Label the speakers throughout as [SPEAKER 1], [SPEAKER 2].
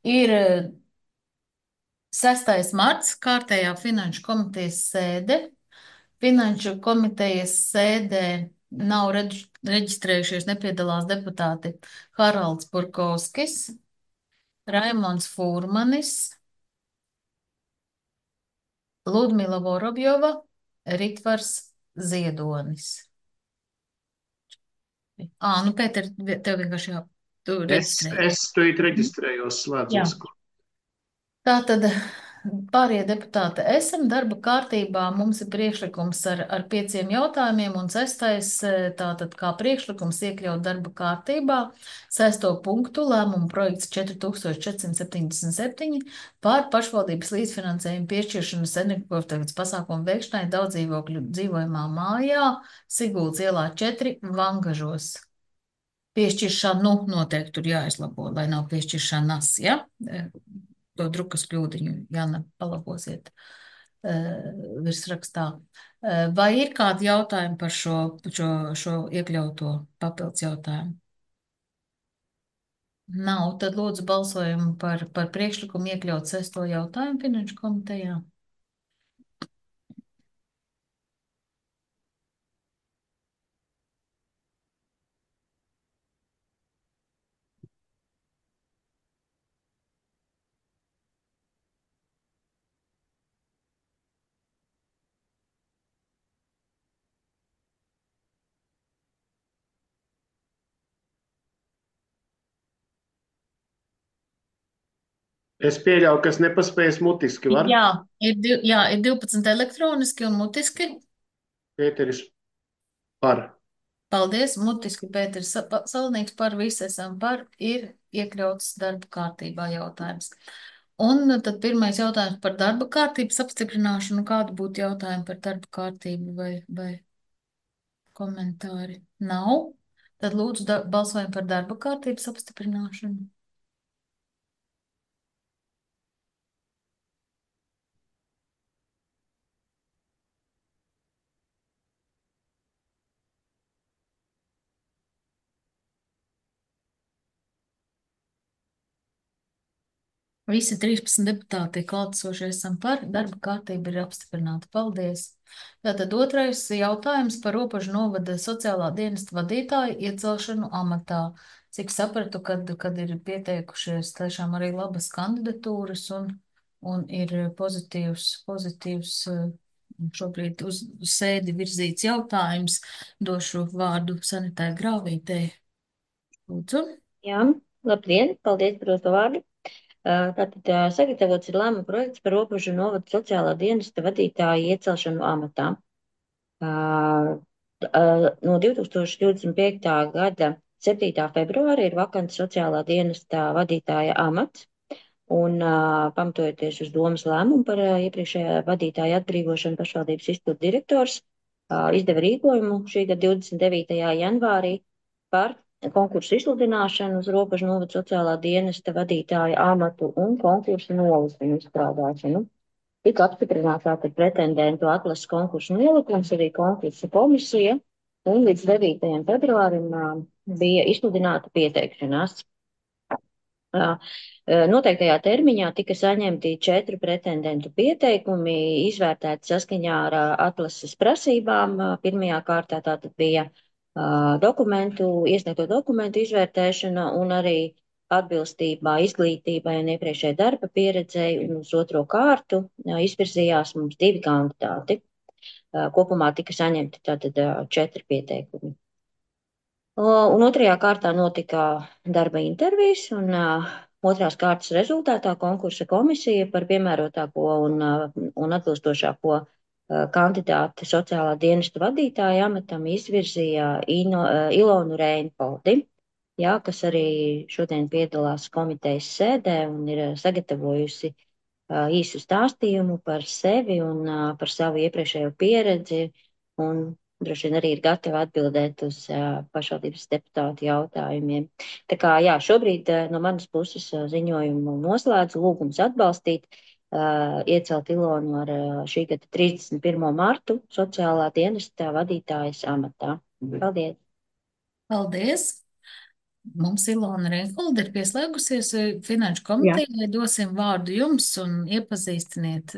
[SPEAKER 1] Ir 6. marts, kārtējā finanšu komitejas sēde. Finanšu komitejas sēdē nav reģistrējušies, nepiedalās deputāti Haralds Burkovskis, Raimons Fūrmanis, Ludmila Vorobjova, Ritvars Ziedonis. Nu, Pēter, tev vienkārši tu
[SPEAKER 2] Es,
[SPEAKER 1] reģistrēji.
[SPEAKER 2] es tūlīt
[SPEAKER 1] Mhm.
[SPEAKER 2] reģistrējos,
[SPEAKER 1] Jā.
[SPEAKER 2] slēdzos.
[SPEAKER 1] Tātad pārējie deputāti esam darba kārtībā. Mums ir priekšlikums ar 5 jautājumiem un 6. Tātad kā priekšlikums iekļaut darba kārtībā 6. punktu lēmumu projekts 4477 par pašvaldības līdzfinansējumu piešķiršanas energoefektivitātes pasākumu veikšanai daudz dzīvokļu dzīvojamā mājā Siguldas ielā 4 Vangažos. Piešķiršanu noteikti tur jāizlabo, lai nav piešķiršanas, ja? To drukas kļūdiņu, Jāna, palabosiet virsrakstā. Vai ir kādi jautājumi par šo iekļauto papildus jautājumu? Nav, tad lūdzu balsojumu par priekšlikumu iekļaut 6. jautājumu finanšu komitejā.
[SPEAKER 2] Es pieļauju, kas nepaspējas mutiski var.
[SPEAKER 1] Jā, ir 12 elektroniski un mutiski.
[SPEAKER 2] Pēteris par.
[SPEAKER 1] Paldies, mutiski Pēters Salnīgs par visu esam par, ir iekļauts darba kārtībā jautājums. Un tad pirmais jautājums par darba kārtības apstiprināšanu. Kādu būtu jautājumi par darba kārtību vai komentāri? Nav. Tad lūdzu balsojam par darba kārtības apstiprināšanu. Visi 13 deputāti klātesošie esam par, darba kārtība ir apstiprināta. Paldies! Tātad otrais jautājums par Ropažu novada sociālā dienesta vadītāju iecelšanu amatā. Cik sapratu, kad ir pieteikušies tiešām arī labas kandidatūras un ir pozitīvs šobrīd uz sēdi virzīts jautājums, došu vārdu Sanitai Grāvītei. Lūdzu.
[SPEAKER 3] Jā, labdien, paldies par doto vārdu. Tātad sagatavots ir lēmuma projekts par Ropažu novada sociālā dienesta vadītāju iecelšanu amatā. No 2025. gada 7. februāra ir vakants sociālā dienesta vadītāja amats, un pamatojoties uz domas lēmumu par iepriekšējā vadītāja atbrīvošanu, pašvaldības izpildu direktors izdeva rīkojumu šī gada 29. janvārī par konkursu izsludināšanu uz Ropažu novada sociālā dienesta vadītāja amatu un konkursu nolikumu izstrādāšanu. Tika apstiprināts tātad pretendentu atlases konkursu nolikums, arī konkursu komisija, un līdz 9. februārim bija izsludināta pieteikšanās. Noteiktajā termiņā tika saņemti 4 pretendentu pieteikumi, izvērtēti saskaņā ar atlases prasībām. Pirmajā kārtā tātad bija iesniegto dokumentu izvērtēšana un arī atbilstībā izglītībai un iepriekšējai darba pieredzei, un uz otro kārtu izvirzījās mums 2 kandidāti. Kopumā tika saņemti tātad 4 pieteikumi. Un otrajā kārtā notika darba intervijas, un otrās kārtas rezultātā konkursa komisija par piemērotāko un atbilstošāko kandidāti sociālā dienesta vadītāja amatam izvirzīja Ilonu Reinpoldi, kas arī šodien piedalās komitejas sēdē un ir sagatavojusi īsu stāstījumu par sevi un par savu iepriekšējo pieredzi, un droši vien arī ir gatava atbildēt uz pašvaldības deputātu jautājumiem. Tā kā šobrīd no manas puses ziņojumu noslēdzu, lūgums atbalstīt, iecelt Ilonu ar šī gada 31. martu sociālā dienesta vadītājas amatā. Paldies!
[SPEAKER 1] Paldies! Mums Ilona Reinholda ir pieslēgusies Finanšu
[SPEAKER 3] Jā.
[SPEAKER 1] komitejai. Dosim vārdu jums un iepazīstiniet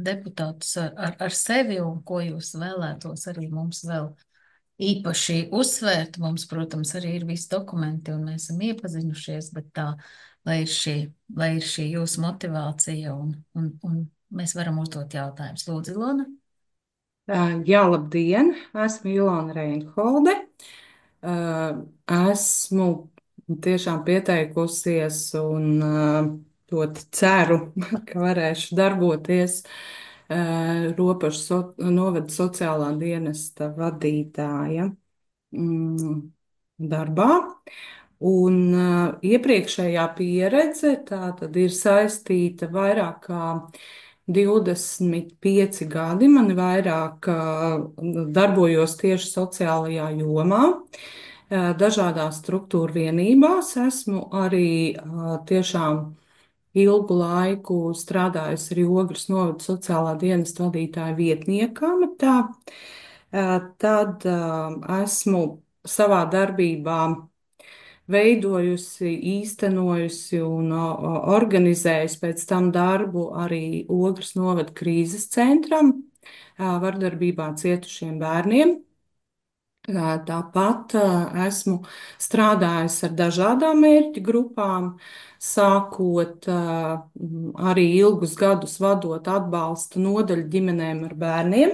[SPEAKER 1] deputātus ar sevi un ko jūs vēlētos arī mums vēl īpaši uzsvērt. Mums, protams, arī ir visi dokumenti un mēs esam iepazinušies, bet tā, lai ir šī jūsu motivācija un mēs varam uzdot jautājumus. Lūdzu, Ilona.
[SPEAKER 4] Jā, labdien! Esmu Ilona Reinholde. Esmu tiešām pieteikusies un ļoti ceru, ka varēšu darboties Ropašu novada sociālā dienesta vadītāja darbā. Un iepriekšējā pieredze tā tad ir saistīta vairāk kā 25 gadi. Man vairāk darbojos tieši sociālajā jomā, dažādās struktūra vienībās. Esmu arī tiešām ilgu laiku strādājusi arī Ogres novada sociālā dienesta vadītāja vietnieka amatā. Tad esmu savā darbībā veidojusi, īstenojusi un organizējusi pēc tam darbu arī Ogres novada krīzes centram, vardarbībā cietušiem bērniem. Tāpat esmu strādājusi ar dažādām mērķu grupām, sākot arī ilgus gadus vadot atbalsta nodaļu ģimenēm ar bērniem.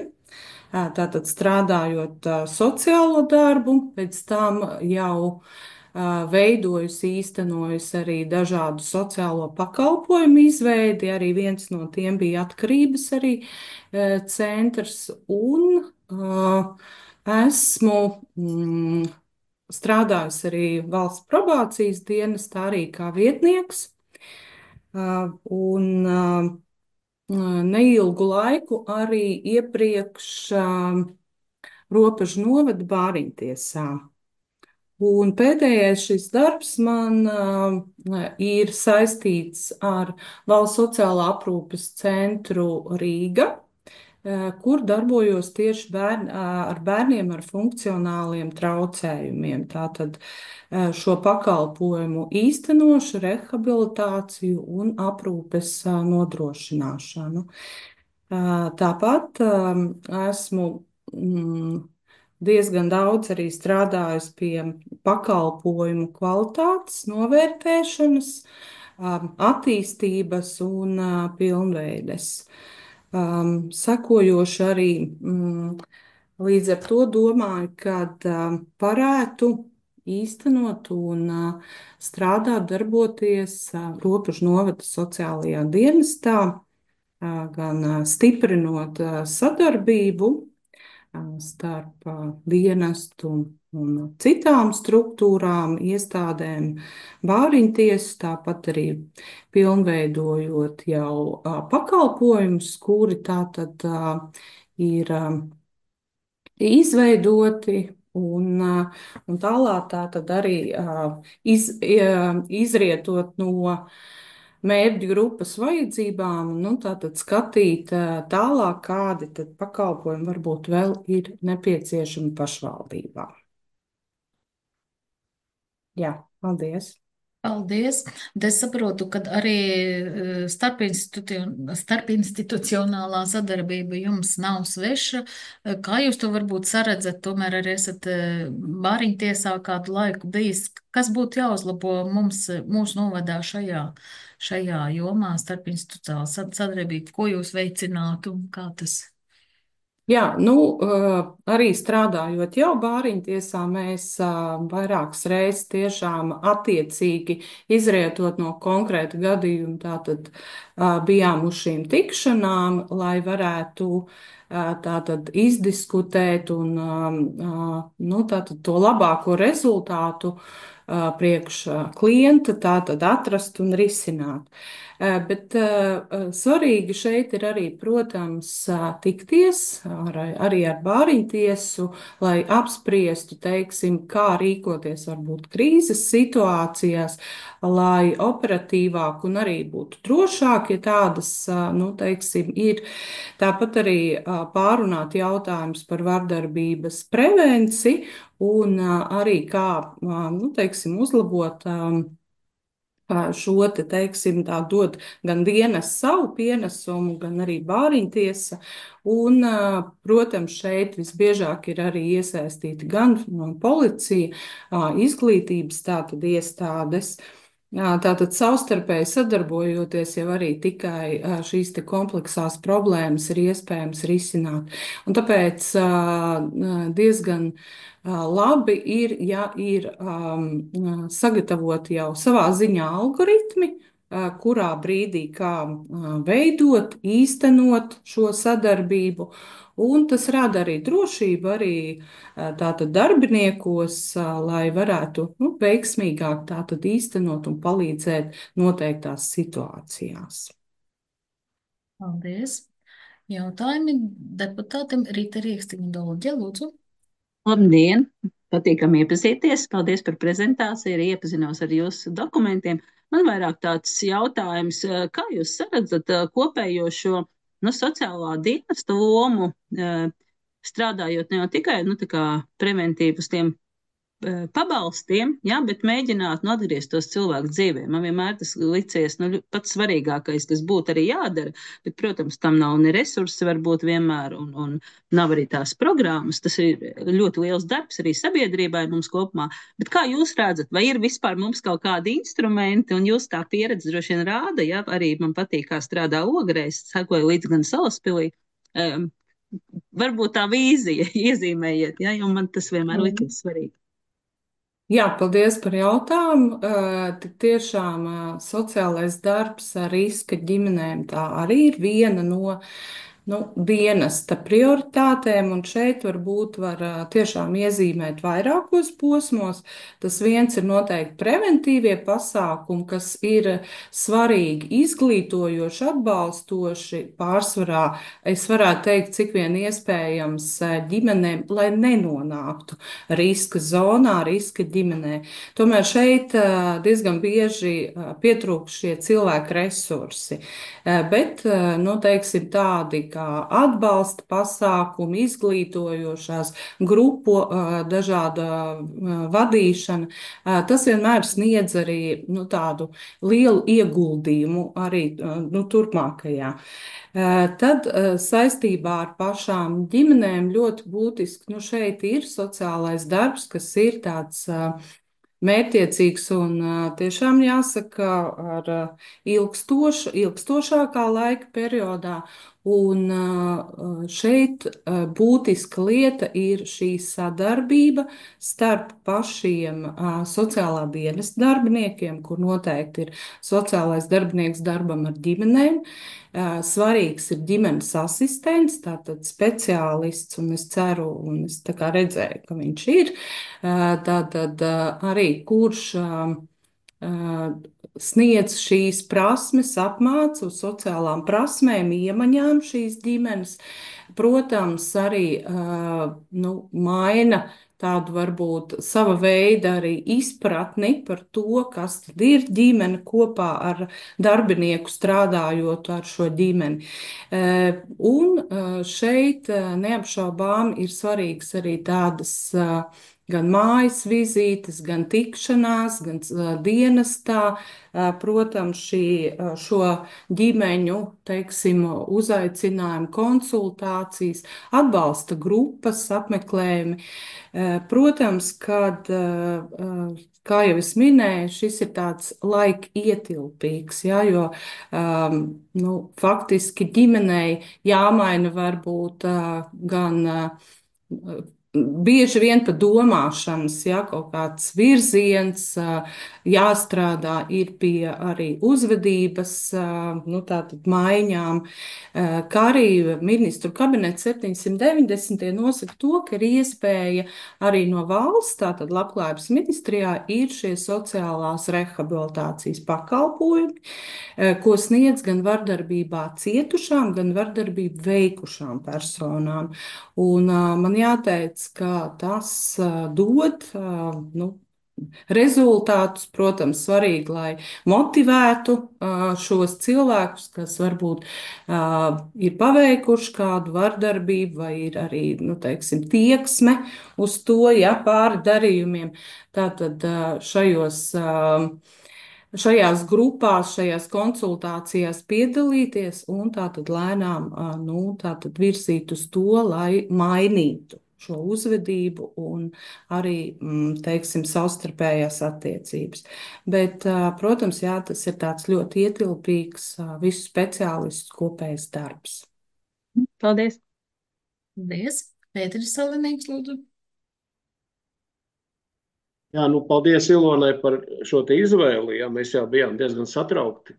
[SPEAKER 4] Tātad strādājot sociālo darbu, pēc tam jau veidojusi, īstenojusi arī dažādu sociālo pakalpojumu izveidi. Arī viens no tiem bija atkarības arī centrs. Un esmu strādājusi arī valsts probācijas dienestā, arī kā vietnieks. Un neilgu laiku arī iepriekš Ropažu novada bāriņtiesā. Un pēdējais šis darbs man ir saistīts ar Valsts sociālā aprūpes centru Rīga, kur darbojos tieši ar bērniem ar funkcionāliem traucējumiem. Tātad šo pakalpojumu īstenošu, rehabilitāciju un aprūpes nodrošināšanu. Tāpat esmu diezgan daudz arī strādājusi pie pakalpojumu kvalitātes novērtēšanas, attīstības un pilnveides. Sekojoši arī līdz ar to domāju, ka varētu īstenot un strādāt, darboties Ropažu novada sociālajā dienestā, gan stiprinot sadarbību starp dienestu un citām struktūrām, iestādēm, bāriņtiesu, tāpat arī pilnveidojot jau pakalpojumus, kuri tātad ir izveidoti. Un tālāk tātad arī izrietot no mērķu grupas vajadzībām, tātad skatīt tālāk, kādi tad pakalpojumi varbūt vēl ir nepieciešami pašvaldībā. Jā, paldies!
[SPEAKER 1] Paldies! Es saprotu, ka arī starpinstitucionālā sadarbība jums nav sveša. Kā jūs to varbūt saredzat? Tomēr arī esat bāriņtiesā kādu laiku bijis. Kas būtu jāuzlabo mūsu novadā šajā jomā starpinstitucionālā sadarbība? Ko jūs veicinātu un kā tas?
[SPEAKER 4] Jā, arī strādājot jau bāriņtiesā, mēs vairākas reizes tiešām attiecīgi izrietot no konkrēta gadījuma, tātad bijām uz šīm tikšanām, lai varētu tātad izdiskutēt un tātad to labāko rezultātu priekš klienta tātad atrast un risināt. Bet svarīgi šeit ir arī, protams, tikties arī ar bāriņtiesu, lai apspriestu, teiksim, kā rīkoties varbūt krīzes situācijās, lai operatīvāk un arī būtu drošāk, ja tādas, teiksim, ir. Tāpat arī pārunāt jautājums par vardarbības prevenciju un arī kā, nu, teiksim, uzlabot šo te, teiksim, tā dot gan dienas savu pienesumu, gan arī bāriņtiesa. Un, protams, šeit visbiežāk ir arī iesaistīti gan policija, izglītības tātad iestādes. Tātad savstarpēji sadarbojoties jau arī tikai šīs te kompleksās problēmas ir iespējams risināt. Un tāpēc diezgan labi ir, ja ir sagatavoti jau savā ziņā algoritmi, kurā brīdī kā veidot, īstenot šo sadarbību. Un tas rada arī drošību arī tātad darbiniekos, lai varētu veiksmīgāk tātad īstenot un palīdzēt noteiktās situācijās.
[SPEAKER 1] Paldies. Jautājumi deputātim Rīta Rīkstiņa Dolģe, lūdzu.
[SPEAKER 5] Labdien! Patīkami iepazīties. Paldies par prezentāciju, arī iepazinos ar jūsu dokumentiem. Man vairāk tāds jautājums, kā jūs saredzat kopējo šo sociālā dienesta lomu, strādājot ne jau tikai tā kā preventīvi uz tiem pabalstiem, jā, bet mēģināt atgriezt tos cilvēku dzīvē. Man vienmēr tas licies pats svarīgākais, kas būtu arī jādara, bet, protams, tam nav ne resursi varbūt vienmēr, un nav arī tās programmas. Tas ir ļoti liels darbs arī sabiedrībai mums kopumā. Bet kā jūs redzat, vai ir vispār mums kaut kādi instrumenti, un jūs tā pieredze droši vien rāda, jā, arī man patīk, kā strādā Ogrēs, sekoju līdz gan Salaspilī. Varbūt tā vīzija iezīmējiet, jā, jo man tas vienmēr likas svarīgi.
[SPEAKER 4] Jā, paldies par jautājumu. Tik tiešām sociālais darbs ar riska ģimenēm tā arī ir viena no dienesta prioritātēm, un šeit varbūt var tiešām iezīmēt vairākos posmos. Tas viens ir noteikti preventīvie pasākumi, kas ir svarīgi, izglītojoši, atbalstoši, pārsvarā, es varētu teikt, cik vien iespējams ģimenēm, lai nenonāktu riska zonā, riska ģimenē. Tomēr šeit diezgan bieži pietrūkst šie cilvēku resursi, bet, teiksim, tādi kā atbalsta pasākumi, izglītojošās grupu dažāda vadīšana, tas vienmēr sniedz arī tādu lielu ieguldījumu arī turpmākajā. Tad saistībā ar pašām ģimenēm ļoti būtiski šeit ir sociālais darbs, kas ir tāds mērķtiecīgs un tiešām jāsaka ar ilgstošākā laika periodā. Un šeit būtiska lieta ir šī sadarbība starp pašiem sociālā dienesta darbiniekiem, kur noteikti ir sociālais darbinieks darbam ar ģimenēm. Svarīgs ir ģimenes asistents, tātad speciālists, un es ceru, un es tā kā redzēju, ka viņš ir, tātad arī kurš sniedz šīs prasmes, apmāca uz sociālām prasmēm, iemaņām šīs ģimenes. Protams, arī maina tādu varbūt sava veida arī izpratni par to, kas tad ir ģimene kopā ar darbinieku strādājot ar šo ģimeni. Un šeit neapšaubām ir svarīgs arī tādas gan mājas vizītes, gan tikšanās, gan dienestā. Protams, šo ģimeņu, teiksim, uzaicinājumu, konsultācijas, atbalsta grupas, apmeklējumi. Protams, kad, kā jau es minēju, šis ir tāds laika ietilpīgs, ja, jo faktiski ģimenei jāmaina varbūt gan bieži vien pa domāšanas, ja, kaut kāds virziens, jāstrādā ir pie arī uzvedības, tātad maiņām, kā arī ministru kabinets 790 nosaka to, ka ir iespēja arī no valsts, tātad Labklājības ministrijā, ir šie sociālās rehabilitācijas pakalpojumi, ko sniedz gan vardarbībā cietušām, gan vardarbību veikušām personām. Un man jāteic, ka tas dod rezultātus. Protams, svarīgi, lai motivētu šos cilvēkus, kas varbūt ir paveikuši kādu vardarbību vai ir arī, nu, teiksim, tieksme uz to, ja, pāri darījumiem. Tātad šajās grupās, šajās konsultācijās piedalīties un tātad lēnām, nu, tātad virzīt uz to, lai mainītu šo uzvedību un arī, teiksim, savstarpējās attiecības. Bet, protams, jā, tas ir tāds ļoti ietilpīgs visu speciālistu kopējs darbs.
[SPEAKER 5] Paldies!
[SPEAKER 1] Paldies! Pēteris Salinīgs, lūdzu.
[SPEAKER 2] Jā, nu, paldies Ilonai par šo te izvēli. Jā, mēs jau bijām diezgan satraukti,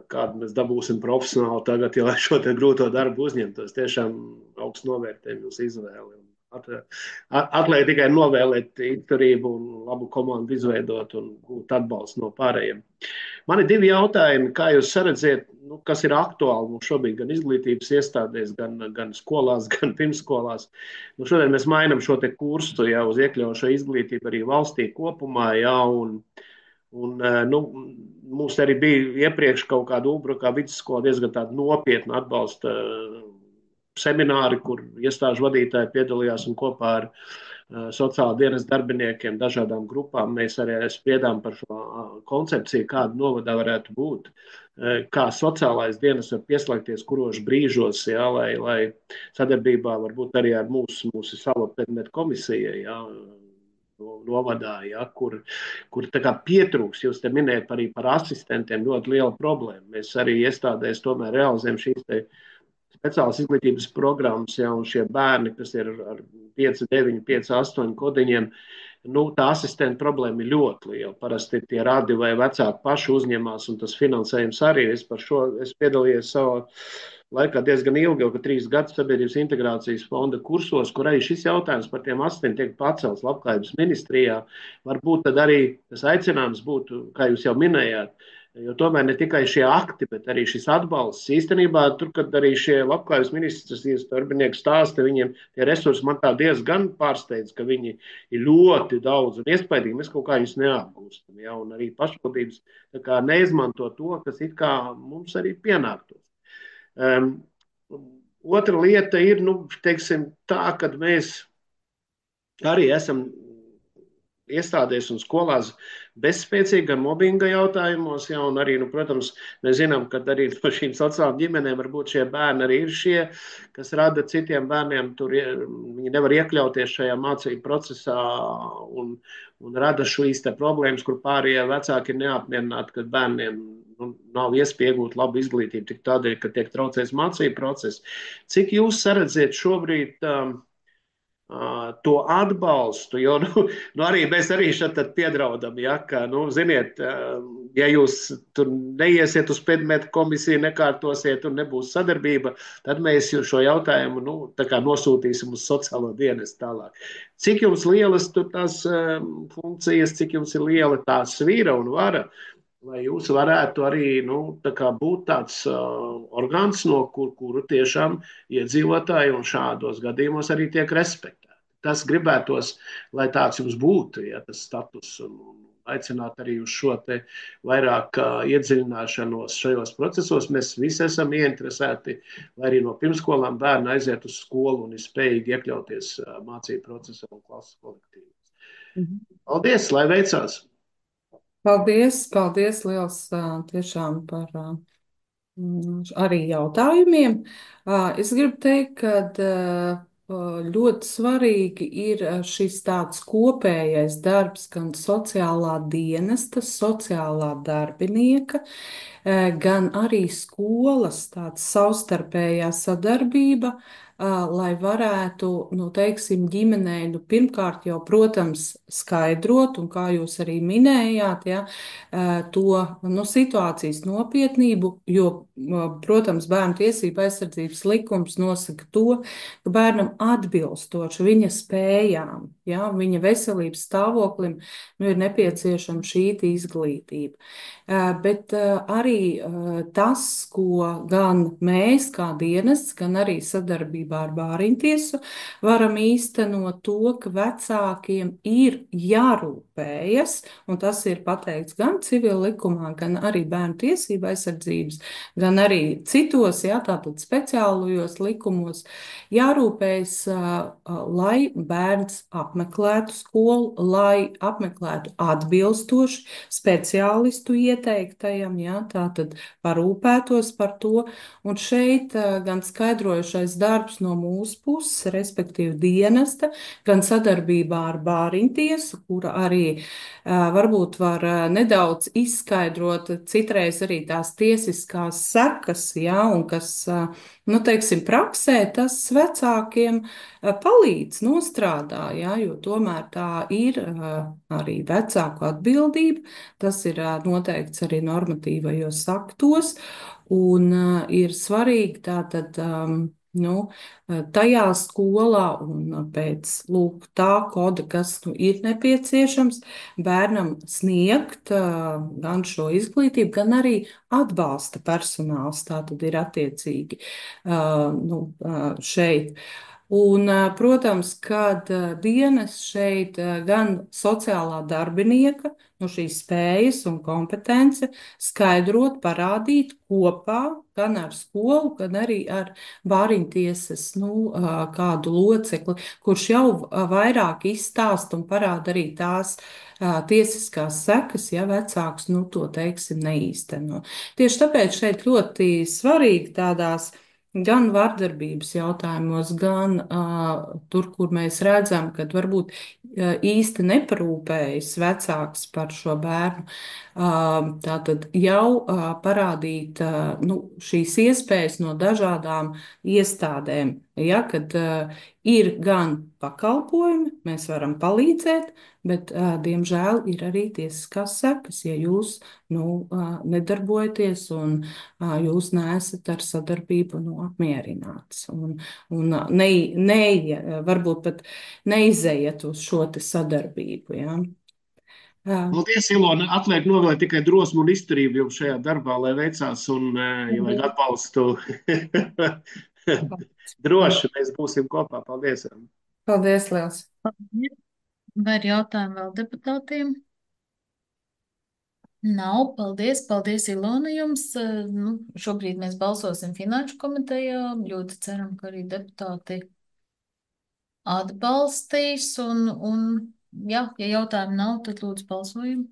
[SPEAKER 2] kādu mēs dabūsim profesionāli tagad, ja lai šo te grūto darbu uzņemtos. Tiešām augstu novērtējumu jūsu izvēli. Atliek tikai novēlēt izturību un labu komandu izveidot un gūt atbalstu no pārējiem. Man ir 2 jautājumi, kā jūs saredzat, nu, kas ir aktuāli mums šobrīd gan izglītības iestādēs, gan skolās, gan pirmskolās. Nu, šodien mēs mainām šo te kursu jau uz iekļaujošo izglītību arī valstī kopumā, jā, un nu, mums arī bija iepriekš kaut kāda Ulbrukā vidusskola diezgan tāda nopietna atbalsta semināri, kur iestāžu vadītāji piedalījās un kopā ar sociāla dienas darbiniekiem, dažādām grupām mēs arī spriedām par šo koncepciju, kāda novadā varētu būt, kā sociālais dienas var pieslēgties kuros brīžos, jā, lai sadarbībā varbūt arī ar mūsu savu predmetu komisiju, jā, novadā, ja, kur tā kā pietrūks, jūs te minējat arī par asistentiem, ļoti liela problēma. Mēs arī iestādēs tomēr realizējam šīs te speciālas izglītības programmas, ja, un šie bērni, kas ir ar 5, 9, 5, 8 kodiņiem, nu, tā asistenta problēma ir ļoti liela. Parasti tie radi vai vecāki paši uzņemās, un tas finansējums arī. Es piedalījos savā laikā diezgan ilgi, jau 3 gadus sabiedrības integrācijas fonda kursos, kur arī šis jautājums par tiem asistentiem tiek pacelts Labklājības ministrijā. Varbūt tad arī tas aicinājums būtu, kā jūs jau minējāt, jo tomēr ne tikai šie akti, bet arī šis atbalsts. Īstenībā, tur, kad arī šie Labklājības ministrijas darbinieki stāsta, viņiem tie resursi man tā diezgan pārsteidz, ka viņi ir ļoti daudz un iespaidīgi. Mēs kaut kā viņus neapgūstam, ja, un arī pašvaldības tā kā neizmanto to, kas it kā mums arī pienāktos. Otra lieta ir, nu, teiksim, tā, kad mēs arī esam iestādēs un skolās bezspēcīgi gan mobbinga jautājumos, ja, un arī, nu, protams, mēs zinām, ka arī no šīm sociālām ģimenēm varbūt šie bērni arī ir šie, kas rada citiem bērniem, viņi nevar iekļauties šajā mācību procesā un rada šīs te problēmas, kur pārējie vecāki ir neapmierināti, ka bērniem nav iespēja iegūt labu izglītību tik tādēļ, ka tiek traucēts mācību process. Cik jūs saredzat šobrīd to atbalstu, jo arī mēs arī šeit piedraudam, ja, ka, ziniet, ja jūs tur neiesiet uz predmetu komisiju, nekārtosiet un nebūs sadarbība, tad mēs šo jautājumu tā kā nosūtīsim uz sociālo dienestu tālāk. Cik jums lielas tur tās funkcijas, cik jums ir liela tā svīra un vara, lai jūs varētu arī tā kā būt tāds orgāns, no kuru tiešām iedzīvotāji un šādos gadījumos arī tiek respektēti. Tas gribētos, lai tāds jums būtu, ja tas status, un aicināt arī uz šo te vairāk iedziļināšanos šajos procesos. Mēs visi esam ieinteresēti, lai arī no pirmskolām bērni aiziet uz skolu un ir spējīgi iekļauties mācību procesā un klases kolektīvos. Paldies, lai veicās!
[SPEAKER 4] Paldies liels tiešām par arī jautājumiem. Es gribu teikt, ka ļoti svarīgi ir šis tāds kopējais darbs gan sociālā dienesta, sociālā darbinieka, gan arī skolas tāds savstarpējā sadarbība, lai varētu, teiksim, ģimenei, pirmkārt jau, protams, skaidrot, un kā jūs arī minējāt, ja, to situācijas nopietnību, jo, protams, Bērnu tiesību aizsardzības likums nosaka to, ka bērnam atbilstoši viņa spējām, ja, viņa veselības stāvoklim, ir nepieciešama šī izglītība. Bet arī arī tas, ko gan mēs, kā dienests, gan arī sadarbībā ar Bāriņtiesu varam īstenot to, ka vecākiem ir jārūpējas, un tas ir pateikts gan civil likumā, gan arī bērnu tiesība aizsardzības, gan arī citos, jā, tātad speciālajos likumos, jārūpējas, lai bērns apmeklētu skolu, lai apmeklētu atbilstoši speciālistu ieteiktajam, jā, tātad parūpētos par to. Un šeit gan skaidrojušais darbs no mūsu puses, respektīvi dienesta, gan sadarbībā ar Bāriņtiesu, kura arī varbūt var nedaudz izskaidrot citreiz arī tās tiesiskās sekas, jā, un kas, nu, teiksim, praksē tas vecākiem palīdz nostrādā, jā, jo tomēr tā ir arī vecāku atbildība. Tas ir noteikts arī normatīvajos aktos, un ir svarīgi tātad, nu, tajā skolā un pēc lūk, tā koda, kas nu, ir nepieciešams, bērnam sniegt gan šo izglītību, gan arī atbalsta personāls. Tā tad ir attiecīgi nu, šeit. Un, protams, kad dienas šeit gan sociālā darbinieka, nu, šīs spējas un kompetence skaidrot, parādīt kopā gan ar skolu, gan arī ar Bāriņtiesas nu, kādu locekli, kurš jau vairāk izstāsta un parāda arī tās tiesiskās sekas, ja vecāks nu, to, teiksim, neīsteno. Tieši tāpēc šeit ļoti svarīgi tādās gan vardarbības jautājumos, gan tur, kur mēs redzam, ka varbūt īsti neparūpējas vecāks par šo bērnu, tātad jau parādīt nu, šīs iespējas no dažādām iestādēm. Ja, kad ir gan pakalpojumi, mēs varam palīdzēt, bet, diemžēl, ir arī tiesiskās sekas, ja jūs nu, nedarbojaties un jūs neesat ar sadarbību nu, apmierināts. Un varbūt pat neizējiet uz šo te sadarbību. Ja?
[SPEAKER 2] Paldies, Ilona. Atliek novēlēt tikai drosmu un izturību jums šajā darbā, lai veicās un, ja vajag atbalstu, droši mēs būsim kopā. Paldies.
[SPEAKER 4] Paldies, liels.
[SPEAKER 1] Vai ir jautājumi vēl deputātiem? Nav, paldies, paldies, Ilona, jums. Nu, šobrīd mēs balsosim finanšu komitejā. Ļoti ceram, ka arī deputāti atbalstīs. Un jā, ja jautājumu nav, tad lūdzu balsojam.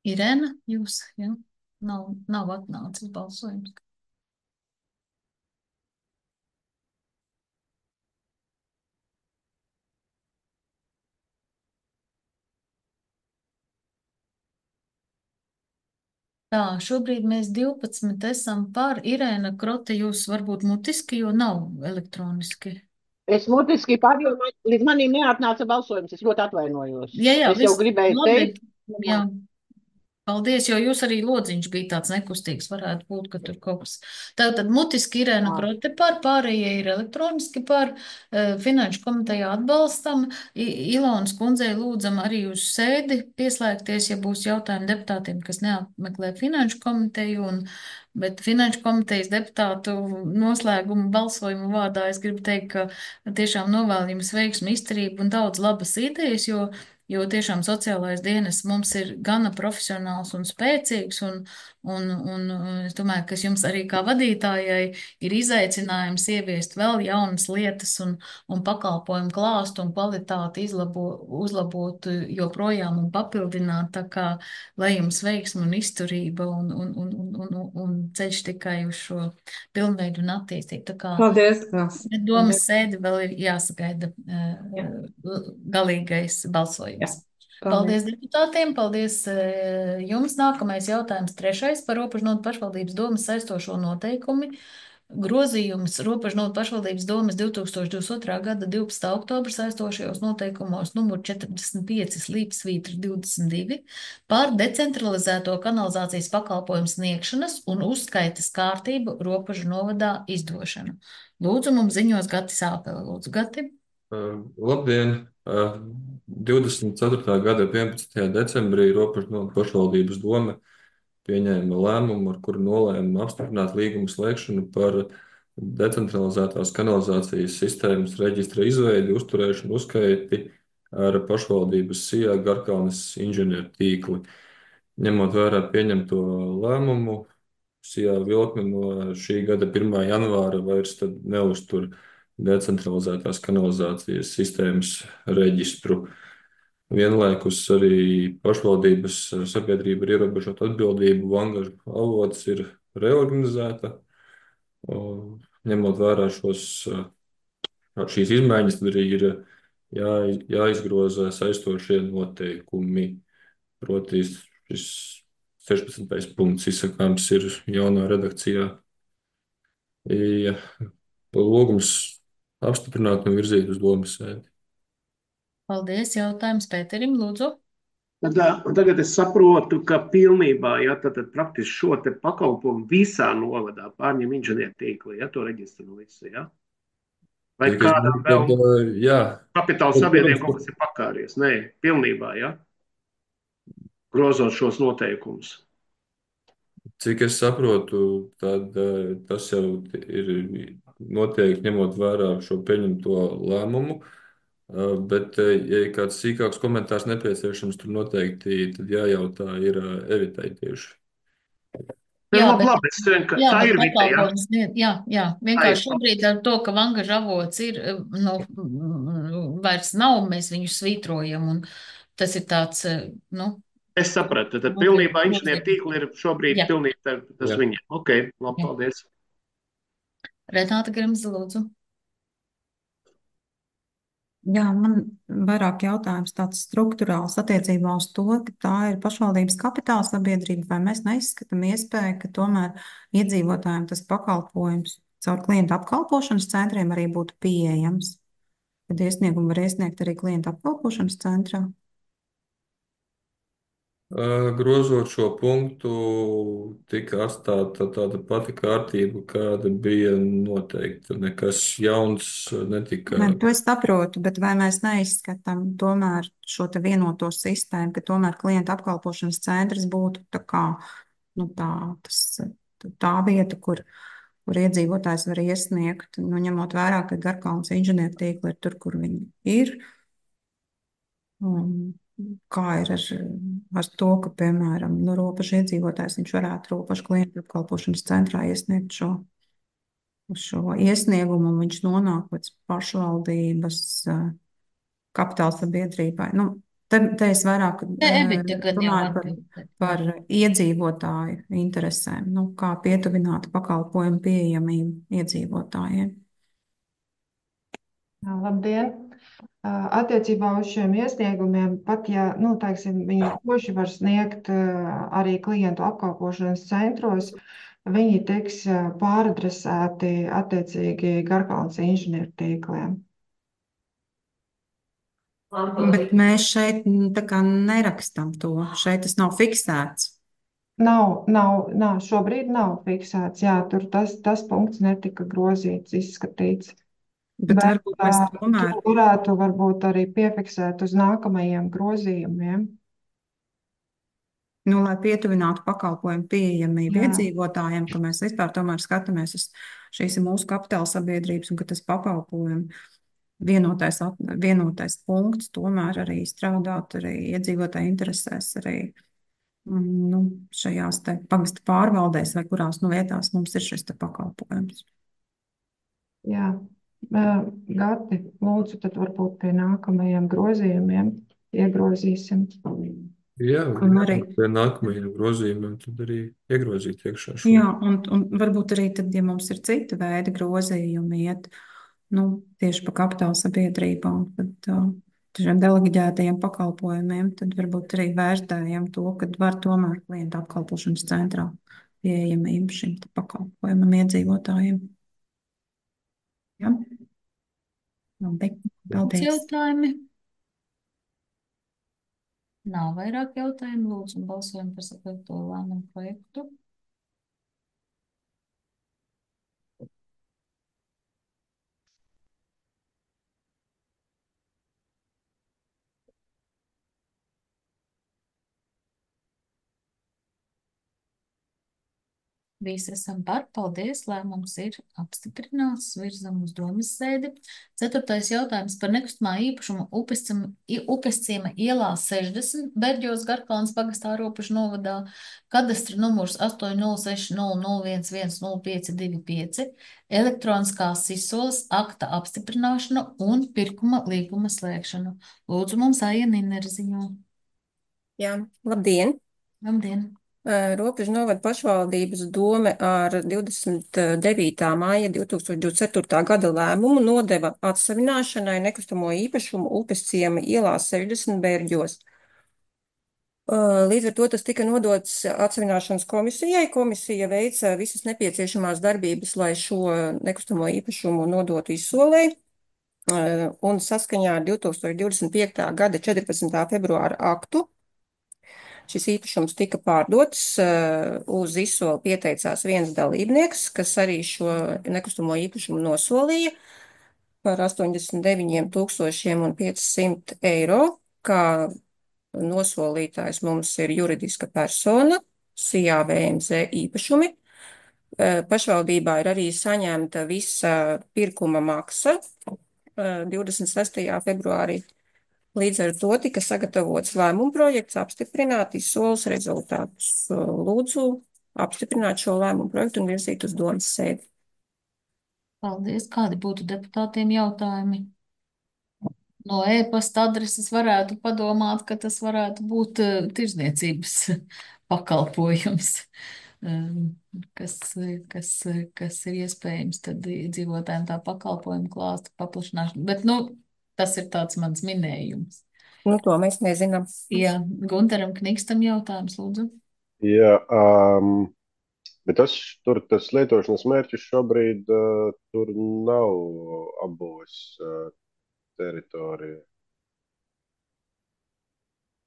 [SPEAKER 1] Irēna, jūs, jā, nav atnācis balsojums. Tā, šobrīd mēs 12 esam par. Irēna Krote, jūs varbūt mutiski, jo nav elektroniski.
[SPEAKER 6] Es mutiski pārdomāju, līdz manim neatnāca balsojums. Es ļoti atvainojos.
[SPEAKER 1] Jā,
[SPEAKER 6] Es jau gribēju
[SPEAKER 1] labi,
[SPEAKER 6] teikt.
[SPEAKER 1] jā. Paldies, jo jūs arī lodziņš bija tāds nekustīgs, varētu būt, ka tur kaut kas. Tātad mutiski Irēna Krote par, pārējie ir elektroniski par, finanšu komitejā atbalstam. Ilonas kundzei lūdzam arī uz sēdi pieslēgties, ja būs jautājumi deputātiem, kas neapmeklē finanšu komiteju, bet finanšu komitejas deputātu noslēgumu balsojumu vārdā es gribu teikt, ka tiešām novēlu jums veiksmu, izturību un daudz labas idejas, jo tiešām sociālais dienas mums ir gana profesionāls un spēcīgs, un es domāju, ka jums arī kā vadītājai ir izaicinājums ieviest vēl jaunas lietas un pakalpojumu klāstu un kvalitāti uzlabot joprojām un papildināt, tā kā lai jums veiksmi un izturība un ceļš tikai uz šo pilnveidu un attīstību. Tā kā
[SPEAKER 4] Paldies.
[SPEAKER 1] domas sēdi vēl ir jāsagaida galīgais balsojums.
[SPEAKER 4] Jā.
[SPEAKER 1] Paldies deputātiem, paldies jums. Nākamais jautājums, 3. par robežnotu pašvaldības domas saistošo noteikumi grozījums Robežnodu pašvaldības domes 2022. gada 12. oktobra saistošajos noteikumos numur 45/22 par decentralizēto kanalizācijas pakalpojumu sniegšanas un uzskaites kārtību Robežu novadā izdošanu. Lūdzu, mums ziņos Gatis Āpele. Lūdzu, Gati.
[SPEAKER 7] Labdien! 24. gada 11. decembrī Robežnodu pašvaldības dome pieņēma lēmumu, ar kuru nolēma apstiprināt līgumu slēgšanu par decentralizētās kanalizācijas sistēmas reģistra izveidi, uzturēšanu, uzskaiti ar pašvaldības SIA Garkalnes inženieru tīkli. Ņemot vērā pieņemto lēmumu, SIA Vilkme no šī gada 1. janvāra vairs neuztur decentralizētās kanalizācijas sistēmas reģistru. Vienlaikus arī pašvaldības sabiedrība ar ierobežotu atbildību Vangažu avots ir reorganizēta. Ņemot vērā šīs izmaiņas, tad arī ir jāizgroza saistošie noteikumi. Proti, šis 16. punkts izsakāms ir jaunā redakcijā. Lūgums apstiprināt un virzīt uz domes sēdi.
[SPEAKER 1] Paldies. Jautājums Pēterim, lūdzu.
[SPEAKER 2] Tagad es saprotu, ka pilnībā, tad praktiski šo te pakalpojumu visā novadā pārņem inženieru tīkli, to reģistru visu, Vai kādam vēl kapitāla sabiedrība kaut kas ir pakāries? Nē, pilnībā, grozot šos noteikumus.
[SPEAKER 7] Cik es saprotu, tad tas jau ir noteikti ņemot vērā šo pieņemto lēmumu. Bet, ja kāds sīkāks komentārs nepieciešams, tur noteikti tad jājautā ir Evitai tieši.
[SPEAKER 2] Labi, tā ir
[SPEAKER 1] pakalpojums. Vienkārši šobrīd ar to, ka Vangažu avots ir, vairs nav, mēs viņu svītrojam, un tas ir tāds,
[SPEAKER 2] Es sapratu, tad pilnībā inženieru tīkli ir šobrīd pilnīgi tas viņiem. Ok, labi, paldies.
[SPEAKER 1] Renāta Grimze, lūdzu.
[SPEAKER 8] Jā, man vairāk jautājums tāds strukturāls attiecībā uz to, ka tā ir pašvaldības kapitāla sabiedrība, vai mēs neizskatām iespēju, ka tomēr iedzīvotājiem tas pakalpojums caur klientu apkalpošanas centriem arī būtu pieejams. Tad iesniegumu var iesniegt arī klientu apkalpošanas centrā.
[SPEAKER 7] Grozot šo punktu, tika atstāta tāda pati kārtība, kāda bija noteikta. Nekas jauns netika.
[SPEAKER 8] To es saprotu, bet vai mēs neizskatām tomēr šo te vienoto sistēmu, ka tomēr klienta apkalpošanas centrs būtu tā vieta, kur iedzīvotājs var iesniegt, ņemot vērā, ka Garkalnes inženieru tīkli ir tur, kur viņi ir. Kā ir ar to, ka, piemēram, robežu iedzīvotājs viņš varētu robežu klientu apkalpošanas centrā iesniegt šo iesniegumu, un viņš nonāk līdz pašvaldības kapitāla sabiedrībai. Te es vairāk runāju par iedzīvotāju interesēm, kā pietuvināt pakalpojumu pieejamību iedzīvotājiem.
[SPEAKER 9] Labdien! Attiecībā uz šiem iesniegumiem, pat ja, viņi paši var sniegt arī klientu apkalpošanas centros, viņi tiks pāradresēti attiecīgi Garkalnes inženieru tīkliem.
[SPEAKER 8] Bet mēs šeit tā kā nerakstam to, šeit tas nav fiksēts.
[SPEAKER 9] Nav, šobrīd nav fiksēts, tur tas punkts netika grozīts, izskatīts.
[SPEAKER 8] Bet varbūt mēs tomēr
[SPEAKER 9] varētu varbūt arī piefiksēt uz nākamajiem grozījumiem.
[SPEAKER 8] Lai pietuvinātu pakalpojumu pieejamību iedzīvotājiem, ka mēs vispār tomēr skatāmies uz šīs mūsu kapitāla sabiedrības un ka tas pakalpojumu vienotais punkts tomēr arī strādāt arī iedzīvotāju interesēs arī šajās te pagasta pārvaldēs vai kurās vietās mums ir šis te pakalpojums.
[SPEAKER 9] Jā. Gati, lūdzu, tad varbūt pie nākamajiem grozījumiem iegrozīsim.
[SPEAKER 7] Jā, pie nākamajiem grozījumiem tad arī iegrozīt iekšā šo.
[SPEAKER 8] Jā, un varbūt arī tad, ja mums ir cita veida grozījumi iet, tieši pa kapitāla sabiedrībām, tad šiem deleģētajiem pakalpojumiem, tad varbūt arī vērtējam to, ka var tomēr klientu apkalpošanas centrā pieejamību šim pakalpojumam iedzīvotājiem. Jā. Labi, paldies.
[SPEAKER 1] Jautājumi? Nav vairāk jautājumu. Lūdzu, balsojam par sagatavoto lēmumu projektu. Visi esam par, paldies, lēmums ir apstiprināts, virzam uz domas sēdi. 4. jautājums par nekustamā īpašuma Upesciema ielā 60, Berģos Garkalnas pagastā Ropažu novadā, kadastra numurs 80600110525, elektroniskās izsoles akta apstiprināšanu un pirkuma līguma slēgšanu. Lūdzu, mums Aija Ninera ziņo.
[SPEAKER 10] Jā, labdien!
[SPEAKER 1] Labdien!
[SPEAKER 10] Robežu novada pašvaldības dome ar 29. māja 2024. gada lēmumu nodeva atsavināšanai nekustamo īpašumu Upesciema ielā 60 Bērģos. Līdz ar to tas tika nodots atsavināšanas komisijai. Komisija veica visas nepieciešamās darbības, lai šo nekustamo īpašumu nodotu izsolei. Un saskaņā ar 2025. gada 14. februāra aktu šis īpašums tika pārdots, uz izsoli pieteicās viens dalībnieks, kas arī šo nekustamo īpašumu nosolīja par 89,500 eiro, kā nosolītājs mums ir juridiska persona, SIA VMZ īpašumi. Pašvaldībā ir arī saņemta visa pirkuma maksa 26. februārī. Līdz ar to tika sagatavots lēmuma projekts apstiprināt izsoles rezultātus. Lūdzu apstiprināt šo lēmumu projektu un virzīt uz domas sēdi.
[SPEAKER 1] Paldies. Kādi būtu deputātiem jautājumi? No e-pasta adreses varētu padomāt, ka tas varētu būt tirzniecības pakalpojums, kas ir iespējams tad dzīvotājiem tā pakalpojumu klāstu paplašināšanu. Bet, tas ir tāds mans minējums.
[SPEAKER 10] To mēs nezinām.
[SPEAKER 1] Jā, Gunteram Knikstam jautājums, lūdzu.
[SPEAKER 11] Jā, bet tas lietošanas mērķis šobrīd tur nav abos teritorija.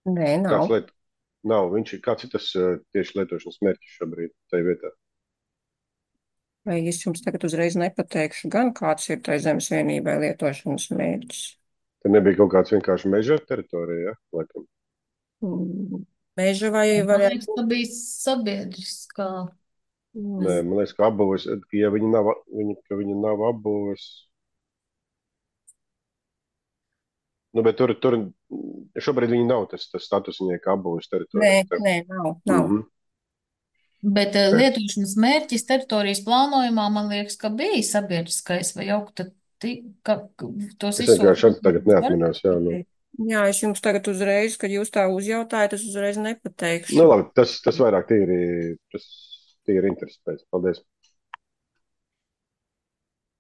[SPEAKER 10] Nē, nav.
[SPEAKER 11] Nav. Kāds ir tas tieši lietošanas mērķis šobrīd tajā vietā?
[SPEAKER 10] Vai es jums tagad uzreiz nepateikšu gan, kāds ir tai zemes vienībai lietošanas mērķis?
[SPEAKER 11] Te nebija kaut kāds vienkārši meža teritorija, ja? Laikam.
[SPEAKER 10] Meža vai
[SPEAKER 1] Man liekas, ka bija sabiedriskā.
[SPEAKER 11] Nē, man liekas, ka apbūves, ja viņi nav apbūves. Bet tur šobrīd viņi nav tas status viņai kā apbūves teritorija.
[SPEAKER 10] Nē, nav.
[SPEAKER 1] Bet lietošanas mērķis teritorijas plānojumā, man liekas, ka bija sabiedriskais vai augta.
[SPEAKER 11] Es vienkārši tagad neatminos, jā.
[SPEAKER 10] Jā, es jums tagad uzreiz, kad jūs tā uzjautājat, es uzreiz nepateikšu.
[SPEAKER 11] Labi, tas vairāk tīri interesi pēc. Paldies.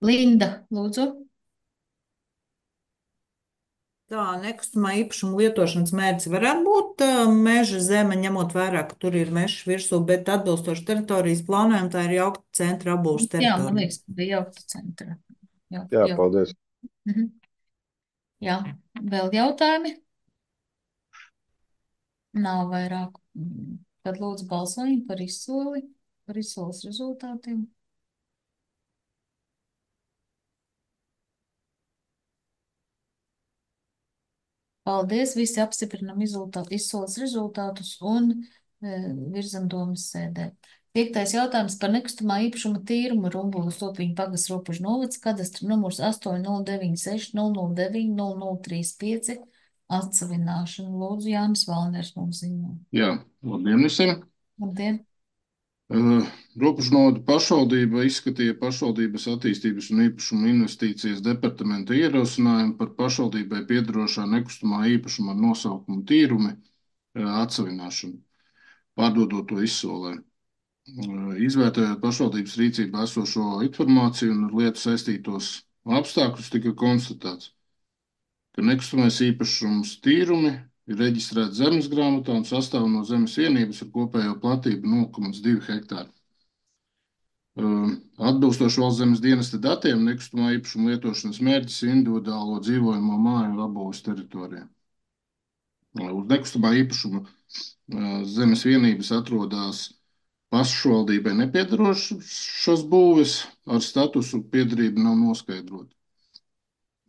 [SPEAKER 1] Linda, lūdzu.
[SPEAKER 4] Tā nekustamā īpašuma lietošanas mērķis varētu būt meža zeme, ņemot vērā, ka tur ir mežs virsū, bet atbilstoši teritorijas plānojumu tā ir jaukta centra apbūves teritorija.
[SPEAKER 1] Jā, man liekas, ka bija jaukta centra.
[SPEAKER 11] Jā, paldies.
[SPEAKER 1] Jā, vēl jautājumi? Nav vairāk. Tad lūdzu balsojumu par izsoli, par izsoles rezultātiem. Paldies, visi apstiprinam izsoles rezultātus un virzam domas sēdē. 5. jautājums par nekustamā īpašuma tīrumu Rumbulas Topiņu pagasts Ropažu novads, kadastra numurs 8096009035 atsavināšanu. Lūdzu, Jānis Valners mums ziņo.
[SPEAKER 12] Jā, labdien visiem!
[SPEAKER 1] Labdien!
[SPEAKER 12] Ropažu novada pašvaldība izskatīja pašvaldības attīstības un īpašuma investīcijas departamenta ierosinājumu par pašvaldībai piederošā nekustamā īpašuma ar nosaukumu tīrumi atsavināšanu, pārdodot to izsolē. Izvērtējot pašvaldības rīcībā esošo informāciju un ar lietu saistītos apstākļus, tika konstatēts, ka nekustamais īpašums tīrumi ir reģistrēts zemes grāmatā un sastāv no zemes vienības ar kopējo platību 0,2 hektāru. Atbilstoši Valsts zemes dienesta datiem, nekustamā īpašuma lietošanas mērķis ir individuālo dzīvojamo māju apbūves teritorijā. Uz nekustamā īpašuma zemes vienības atrodas pašvaldībai nepiedarošas būves ar statusu piederība nav noskaidrota.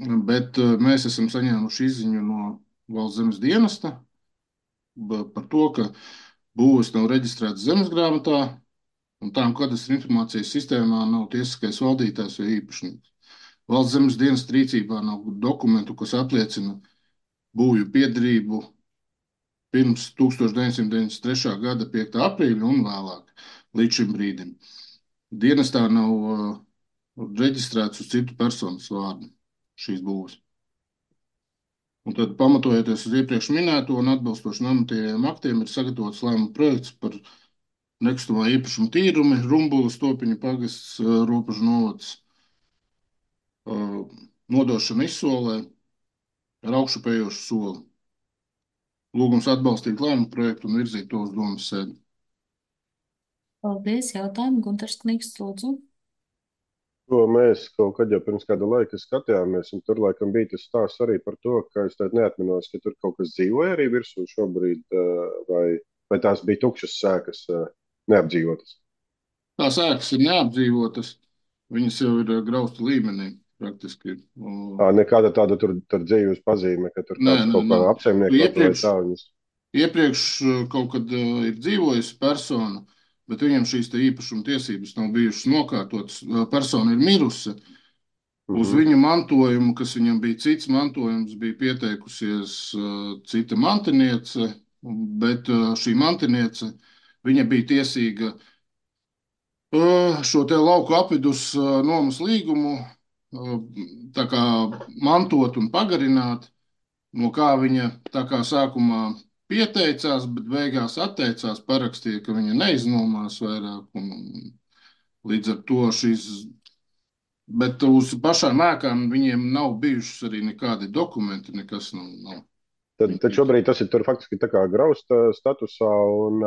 [SPEAKER 12] Bet mēs esam saņēmuši izziņu no Valsts zemes dienesta par to, ka būves nav reģistrētas zemesgrāmatā un tām kadastra informācijas sistēmā nav tiesiskais valdītājs vai īpašnieks. Valsts zemes dienesta rīcībā nav dokumentu, kas apliecina būvju piederību pirms 1993. gada 5. aprīļa un vēlāk līdz šim brīdim. Dienestā nav reģistrēts uz citu personas vārdu šīs būves. Un tad, pamatojoties uz iepriekš minēto un atbilstoši normatīviem aktiem, ir sagatavots lēmuma projekts par nekustamā īpašuma tīrumi, Rumbulas, Topiņa pagasts, Ropažu novads, nodošana izsolē ar augšupējošu soli. Lūgums atbalstīt lēmumu projektu un virzīt to uz domas sēdi.
[SPEAKER 1] Paldies, jautājumu. Guntars Kniks, lūdzu.
[SPEAKER 11] To mēs kaut kad jau pirms kāda laika skatījāmies, un tur laikam bija tas stāsts arī par to, ka es tādu neatminos, ka tur kaut kas dzīvoja arī virsū šobrīd, vai tās bija tukšas sēkas, neapdzīvotas.
[SPEAKER 12] Tās ēkas ir neapdzīvotas, viņas jau ir graustu līmenī praktiski.
[SPEAKER 11] Nekāda tāda tur dzīves pazīme, ka tur kāds kaut kā apsaimniekot vai tā viņas.
[SPEAKER 12] Iepriekš kaut kad ir dzīvojusi persona, bet viņam šīs te īpašuma tiesības nav bijušas nokārtotas. Persona ir mirusi. Uz viņu mantojumu, kas viņam bija cits mantojums, bija pieteikusies cita mantiniece, bet šī mantiniece, viņa bija tiesīga šo te lauku apvidus nomas līgumu tā kā mantot un pagarināt, no kā viņa tā kā sākumā pieteicās, bet beigās atteicās, parakstīja, ka viņa neiznomās vairāk. Līdz ar to bet uz pašām ēkām viņiem nav bijušas arī nekādi dokumenti, nekas nav.
[SPEAKER 11] Tad šobrīd tas ir tur faktiski tā kā grausta statusā un...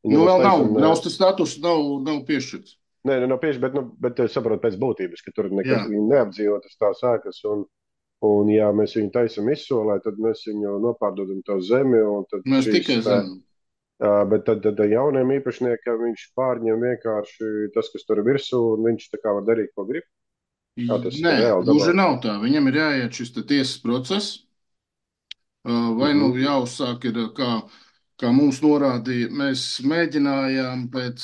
[SPEAKER 12] vēl nav, grausta status nav piešķirts.
[SPEAKER 11] Nē, nav piešķirts, bet es saprotu pēc būtības, ka tur nekad neapdzīvotas tās ēkas un ja mēs viņu taisam izsolē, tad mēs viņu nopārdodam to zemi.
[SPEAKER 12] Mēs tikai zemi.
[SPEAKER 11] Bet tad jauniem īpašniekiem viņš pārņem vienkārši tas, kas tur virsū, un viņš tā kā var darīt, ko grib.
[SPEAKER 12] Nē, gluži nav tā. Viņam ir jāiet šis tiesas process, vai jāuzsāk ir, kā mums norādīja, mēs mēģinājām pēc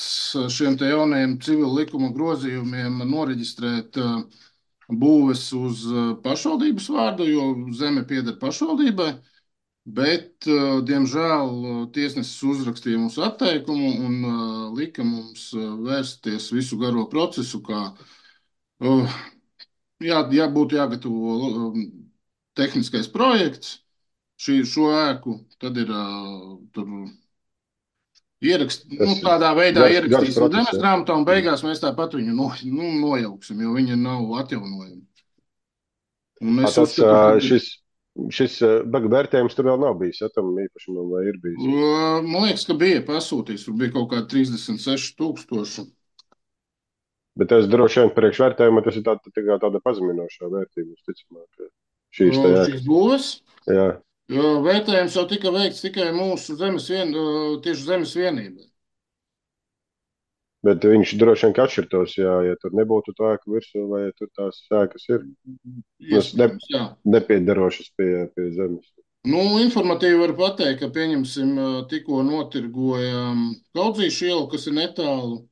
[SPEAKER 12] šiem te jaunajiem civila likuma grozījumiem noreģistrēt būves uz pašvaldības vārdu, jo zeme pieder pašvaldībai, bet, diemžēl, tiesnesis uzrakstīja mums atteikumu un lika mums vērsties visu garo procesu, kā būtu jāgatavo tehniskais projekts, šo ēku, tad ir tur tādā veidā ierakstīsim zemes grāmatā, un beigās mēs tāpat viņu nojauksim, jo viņa nav atjaunojama.
[SPEAKER 11] Šis vērtējums tur vēl nav bijis, ja tam īpašumam vai ir bijis?
[SPEAKER 12] Man liekas, ka bija pasūtīts, tur bija kaut kā 36,000.
[SPEAKER 11] Bet tas droši vien priekšvērtējumā tas ir tāda pazeminošā vērtība, ticamāk.
[SPEAKER 12] Šīs būves?
[SPEAKER 11] Jā.
[SPEAKER 12] Vērtējums jau tika veikts tikai mūsu tieši zemes vienībai.
[SPEAKER 11] Bet viņš droši vien atšķirtos, ja tur nebūtu tā ēka virsū, vai ja tur tās ēkas ir nepiedarošas pie zemes.
[SPEAKER 12] Informatīvi var pateikt, ka pieņemsim tikko notirgojām Kaudzīšu ielu, kas ir netālu.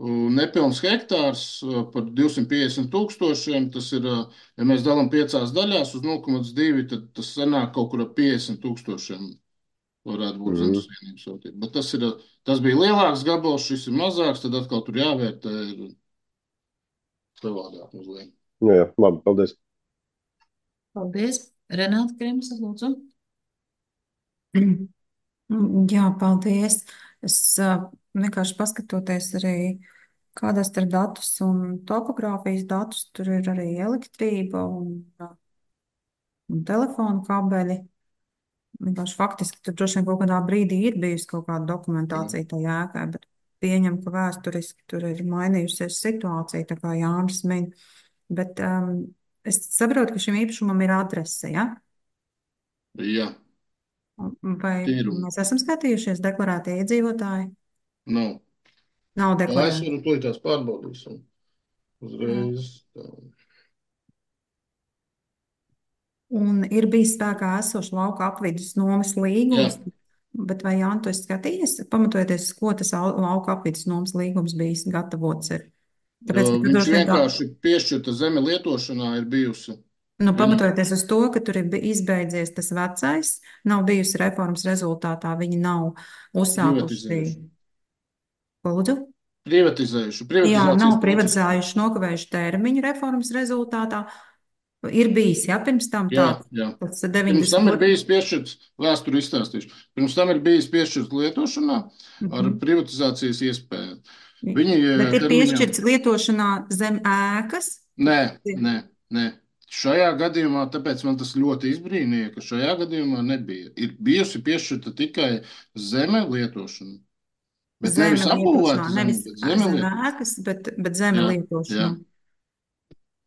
[SPEAKER 12] Nepilns hektārs par 250,000. Tas ir, ja mēs dalām 5 daļās uz 0,2, tad tas sanāk kaut kur ap 50,000 varētu būt zemes vienības vērtība. Bet tas bija lielāks gabals, šis ir mazāks, tad atkal tur jāvērtē ir savādāk mazliet.
[SPEAKER 11] Jā, labi, paldies.
[SPEAKER 1] Paldies. Renāta Krimsa, lūdzu.
[SPEAKER 8] Jā, paldies. Es vienkārši paskatoties arī kadastra datus un topogrāfijas datus, tur ir arī elektrība un telefonu kabeļi. Vienkārši faktiski tur droši vien kaut kādā brīdī ir bijusi kaut kāda dokumentācija tajā ēkai, bet pieņemu, ka vēsturiski tur ir mainījusies situācija, tā kā Jānis min. Bet es saprotu, ka šim īpašumam ir adrese, ja?
[SPEAKER 12] Jā,
[SPEAKER 8] Vai
[SPEAKER 12] ir.
[SPEAKER 8] mēs esam skatījušies deklarētie iedzīvotāji?
[SPEAKER 12] Nav.
[SPEAKER 8] Nav
[SPEAKER 12] Es
[SPEAKER 8] deklarēti.
[SPEAKER 12] varu tūlītās pārbaudīsim. Uzreiz.
[SPEAKER 8] Un ir bijis spēkā esošs lauka apvidus nomas līgums, bet vai Jāni, tu esi skatījies, pamatojoties, ko tas lauka apvidus nomas līgums bijis gatavots ir? Tāpēc, ka
[SPEAKER 12] Viņš vienkārši piešķirta zeme lietošanā ir bijusi.
[SPEAKER 8] Nu, pamatojoties uz to, ka tur ir izbeidzies tas vecais, nav bijusi reformas rezultātā, viņi nav uzsākuši. Lūdzu?
[SPEAKER 12] Privatizējuši.
[SPEAKER 8] Jā, nav privatizējuši, nokavējuši termiņu reformas rezultātā. Ir bijis, jā, pirms tam tāds.
[SPEAKER 12] Tas 90. Pirms tam ir bijis piešķirts, vēsturi izstāstīšu, pirms tam ir bijis piešķirts lietošanā ar privatizācijas iespēju.
[SPEAKER 8] Bet ir piešķirts lietošanā zem ēkas?
[SPEAKER 12] Nē. Šajā gadījumā, tāpēc man tas ļoti izbrīnīja, ka šajā gadījumā nebija. Ir bijusi piešķirta tikai zeme lietošana. Bet
[SPEAKER 8] zeme
[SPEAKER 12] nevis apbūvēta
[SPEAKER 8] zeme, nevis zem ēkas, bet zeme lietošana.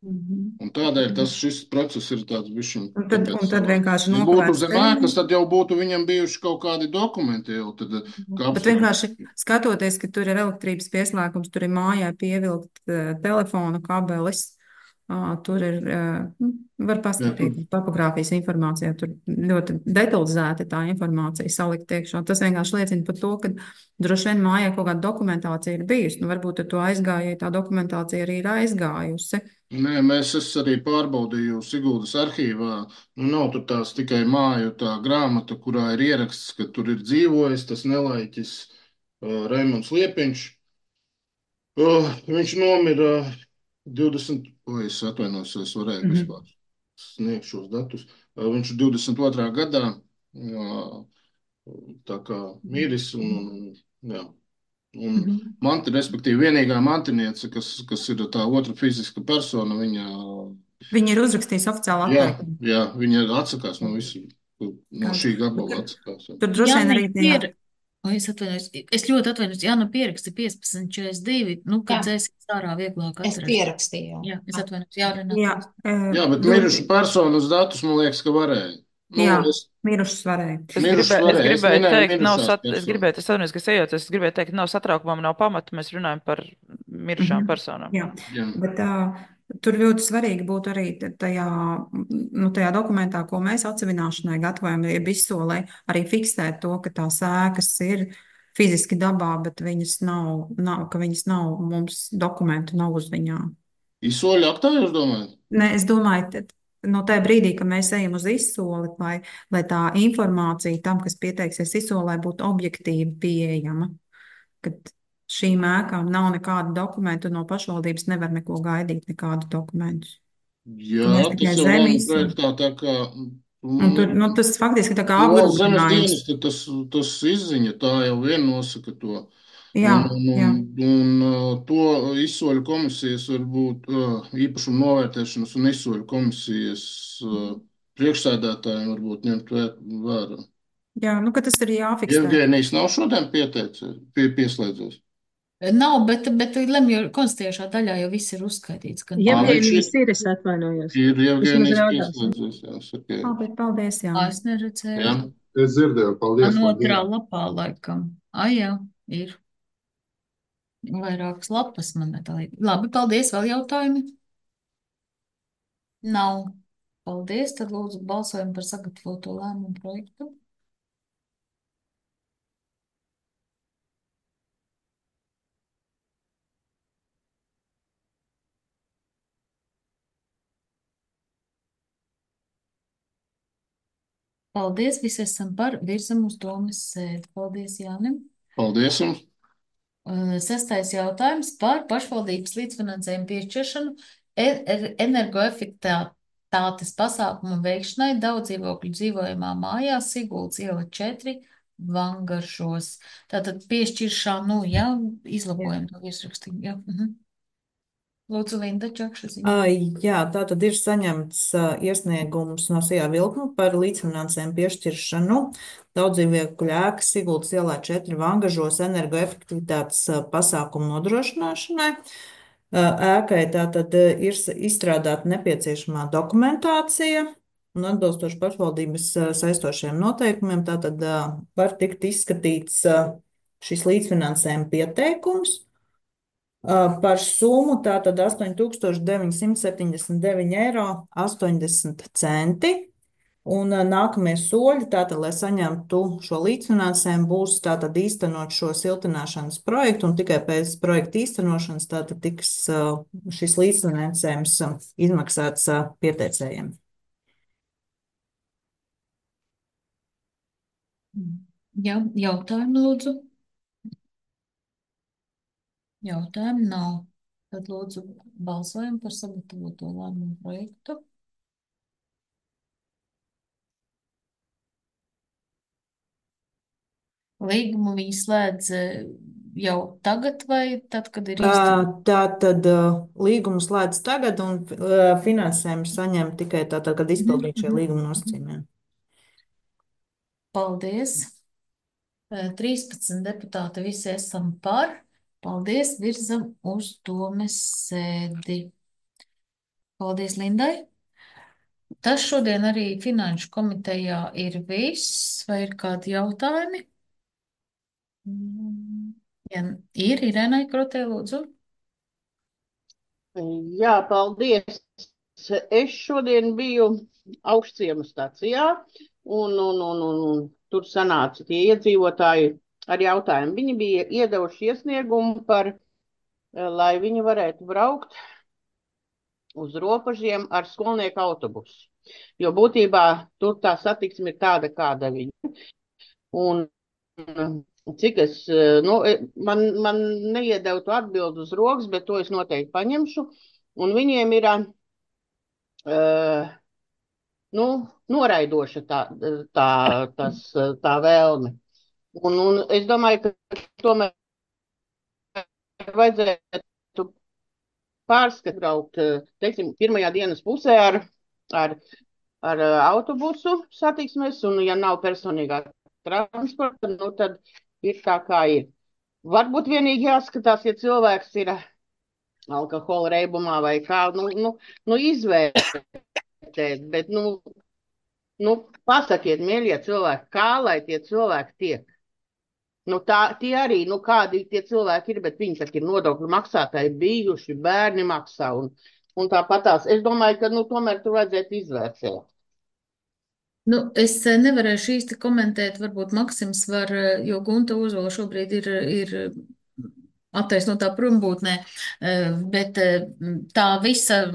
[SPEAKER 12] Un tādēļ šis process ir tāds bišķiņ.
[SPEAKER 8] Un tad vienkārši
[SPEAKER 12] ja būtu zem ēkas, tad jau būtu viņam bijuši kaut kādi dokumenti.
[SPEAKER 8] Bet vienkārši skatoties, ka tur ir elektrības pieslēgums, tur ir mājā pievilkt telefona kabelis, tur ir, var paskatīt topogrāfijas informācijā, tur ļoti detalizēti tā informācija salikt iekšā. Tas vienkārši liecina par to, ka droši vien mājā kaut kāda dokumentācija ir bijusi. Nu, varbūt ar to aizgājēji tā dokumentācija arī ir aizgājusi.
[SPEAKER 12] Nē, es arī pārbaudīju Siguldas arhīvā. Nu, nav tur tās tikai māju tā grāmata, kurā ir ieraksts, ka tur ir dzīvojis tas nelaiķis Raimonds Liepiņš. Viņš nomira 20. Es atvainojos, es varēju vispār sniegt šos datus. Viņš 22. gadā tā kā miris un respektīvi, vienīgā mantiniece, kas ir tā otra fiziska persona,
[SPEAKER 8] viņa ir uzrakstījusi oficiālu atteikumu.
[SPEAKER 12] Jā, viņa atsakās no visu, no šī gabala atsakās.
[SPEAKER 8] Tur droši vien arī tajā.
[SPEAKER 1] Es ļoti atvainojos, Jāna pieraksta 1542, kad dzēsīs ārā vieglāk atrast.
[SPEAKER 13] Es pierakstīju.
[SPEAKER 1] Jā, es atvainojos, Jārina.
[SPEAKER 12] Jā, bet mirušu personas datus, man liekas, ka varēja.
[SPEAKER 8] Mirušas varēja.
[SPEAKER 14] Es gribēju teikt, ka nav satraukumam, nav pamata, mēs runājam par mirušām personām.
[SPEAKER 8] Jā. Bet tur ļoti svarīgi būtu arī tajā dokumentā, ko mēs atsevināšanai gatavojam, jeb izsolē, arī fiksēt to, ka tās ēkas ir fiziski dabā, bet viņas nav, mums dokumentu nav uz viņām.
[SPEAKER 12] Izsoli aktā, jūs domājat?
[SPEAKER 8] Nē, es domāju, no tajā brīdī, kad mēs ejam uz izsoli, lai tā informācija tam, kas pieteiksies izsolē, būtu objektīvi pieejama. Kad šīm ēkām nav nekādu dokumentu, no pašvaldības nevar neko gaidīt, nekādu dokumentus.
[SPEAKER 12] Jā, tas jau nav projektā tā kā...
[SPEAKER 8] Tas faktiski tā kā apgrūtinājums.
[SPEAKER 12] Zemes dienas, tas izziņa, tā jau vien nosaka to.
[SPEAKER 8] Jā.
[SPEAKER 12] Un to izsoļu komisijas varbūt īpašumu novērtēšanas un izsoļu komisijas priekšsēdētājiem varbūt ņemt vērā.
[SPEAKER 8] Jā, ka tas ir jāfiksē.
[SPEAKER 12] Evgenijs nav šodien pieslēdzies?
[SPEAKER 1] Nav, bet lemju konstatējušā daļā jau viss ir uzskaitīts.
[SPEAKER 5] Evgenijs ir, es atvainojos.
[SPEAKER 12] Ir Evgenijs pieslēdzies, jā, sakiet.
[SPEAKER 8] Bet paldies, jā.
[SPEAKER 1] Es neredzēju.
[SPEAKER 12] Jā, es dzirdēju, paldies.
[SPEAKER 1] Otrā lapā laikam. Jā, ir. Vairākas lapas man netālīt. Labi, paldies. Vēl jautājumi? Nav. Paldies. Tad lūdzu balsojam par sagatavoto lēmumu projektu. Paldies. Visi esam par. Virzam uz domas sēdi. Paldies, Jānim.
[SPEAKER 12] Paldies jums.
[SPEAKER 1] 6. jautājums par pašvaldības līdzfinansējumu piešķiršanu energoefektivitātes pasākumu veikšanai daudz dzīvokļu dzīvojamā mājā Siguldas iela 4 Vangaršos. Tātad piešķiršanu, izlabojam to virsrakstību. Lūdzu, Linda Čakšaziņa.
[SPEAKER 4] Jā, tā tad ir saņemts iesniegums no Sijā Vilkuma par līdzfinansējumu piešķiršanu daudzdzīvnieku ēkas Siguldas ielā 4 Vangažos energoefektivitātes pasākumu nodrošināšanai. Ēkai tātad ir izstrādāta nepieciešamā dokumentācija un atbilstoši pašvaldības saistošiem noteikumiem, tātad var tikt izskatīts šis līdzfinansējuma pieteikums. Par summu tātad 8,979,80 €. Un nākamie soļi, tātad, lai saņemtu šo līdzfinansējumu, būs tātad īstenot šo siltināšanas projektu, un tikai pēc projekta īstenošanas tātad tiks šis līdzfinansējums izmaksāts pieteicējiem.
[SPEAKER 1] Jā, jautājumu lūdzu. Jautājumu nav. Tad lūdzu balsojam par sagatavoto lēmumu projektu. Līgumu viņi slēdz jau tagad vai tad, kad ir īstenībā?
[SPEAKER 4] Tātad līgumu slēdz tagad un finansējumu saņem tikai tātad, kad izpildīt šie līguma nosacījumi.
[SPEAKER 1] Paldies. 13 deputāti visi esam par. Paldies, virzam uz domes sēdi. Paldies Lindai. Tas šodien arī Finanšu komitejā ir viss, vai ir kādi jautājumi? Ja ir, Irenai Krotē, lūdzu.
[SPEAKER 6] Jā, paldies. Es šodien biju Augstciema stacijā, un tur sanāca tie iedzīvotāji ar jautājumu. Viņi bija iedevuši iesniegumu lai viņi varētu braukt uz robežiem ar skolnieku autobusu. Jo būtībā tur tā satiksme ir tāda, kāda viņa. Un cik es, man neiedeva to atbildi uz rokas, bet to es noteikti paņemšu. Un viņiem ir, noraidoša tā vēlme. Un es domāju, ka tomēr vajadzētu pārskatīt, teiksim, pirmajā dienas pusē ar autobusu satiksmes, un ja nav personīgā transporta, tad ir tā, kā ir. Varbūt vienīgi jāskatās, ja cilvēks ir alkohola reibumā vai kā, izvērtēt, bet, pasakiet, mīļie cilvēki, kā lai tie cilvēki tiek. Tie arī, kādi tie cilvēki ir, bet viņi taču ir nodokļu maksātāji bijuši, bērni maksā, un tāpatās. Es domāju, ka, tomēr tur vajadzētu izvērtēt.
[SPEAKER 1] Es nevarēšu īsti komentēt, varbūt Maksims var, jo Gunta Ozola šobrīd ir attaisnotā prombūtnē, bet tā visa,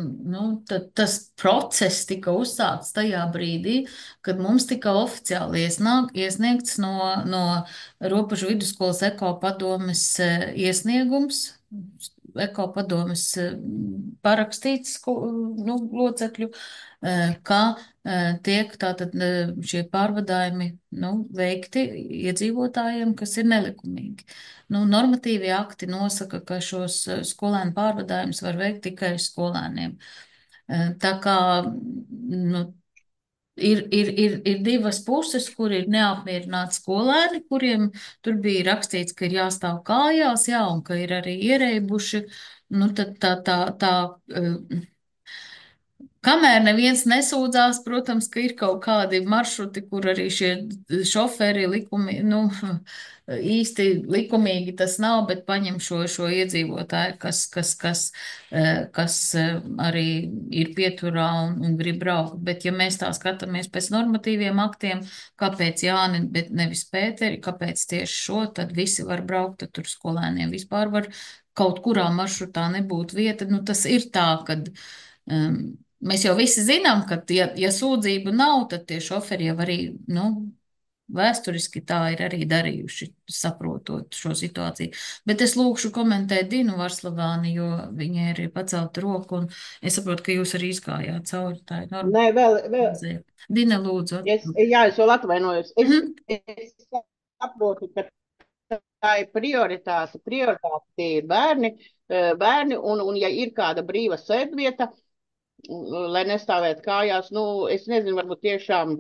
[SPEAKER 1] tas process tika uzsākts tajā brīdī, kad mums tika oficiāli iesniegts no Robežu vidusskolas ekopadomes iesniegums, ekopadomes parakstīts locekļu, ka tiek tātad šie pārvadājumi veikti iedzīvotājiem, kas ir nelikumīgi. Normatīvie akti nosaka, ka šos skolēnu pārvadājumus var veikt tikai skolēniem. Tā kā ir divas puses, kur ir neapmierināti skolēni, kuriem tur bija rakstīts, ka ir jāstāv kājās, jā, un ka ir arī iereibuši. Kamēr neviens nesūdzās, protams, ka ir kaut kādi maršruti, kur arī šie šoferi īsti likumīgi tas nav, bet paņem šo iedzīvotāju, kas arī ir pieturā un grib braukt. Bet ja mēs tā skatāmies pēc normatīviem aktiem, kāpēc Jāni, bet nevis Pēteri, kāpēc tieši šo, tad visi var braukt, tad tur skolēniem vispār var kaut kurā maršrutā nebūt vieta. Tas ir tā, kad mēs jau visi zinām, ka, ja sūdzību nav, tad tie šoferi jau arī, vēsturiski tā ir arī darījuši, saprotot šo situāciju. Bet es lūkšu komentēt Dinu Varslavāni, jo viņai ir pacelta roku, un es saprotu, ka jūs arī izgājāt cauri. Tā ir normāli.
[SPEAKER 6] Nē, vēl.
[SPEAKER 1] Dina, lūdzu.
[SPEAKER 6] Es vēl atvainojos. Es saprotu, ka tā ir prioritāte. Prioritāte tie ir bērni. bērni, un ja ir kāda brīva sēdvieta, lai nestāvētu kājās, es nezinu, varbūt tiešām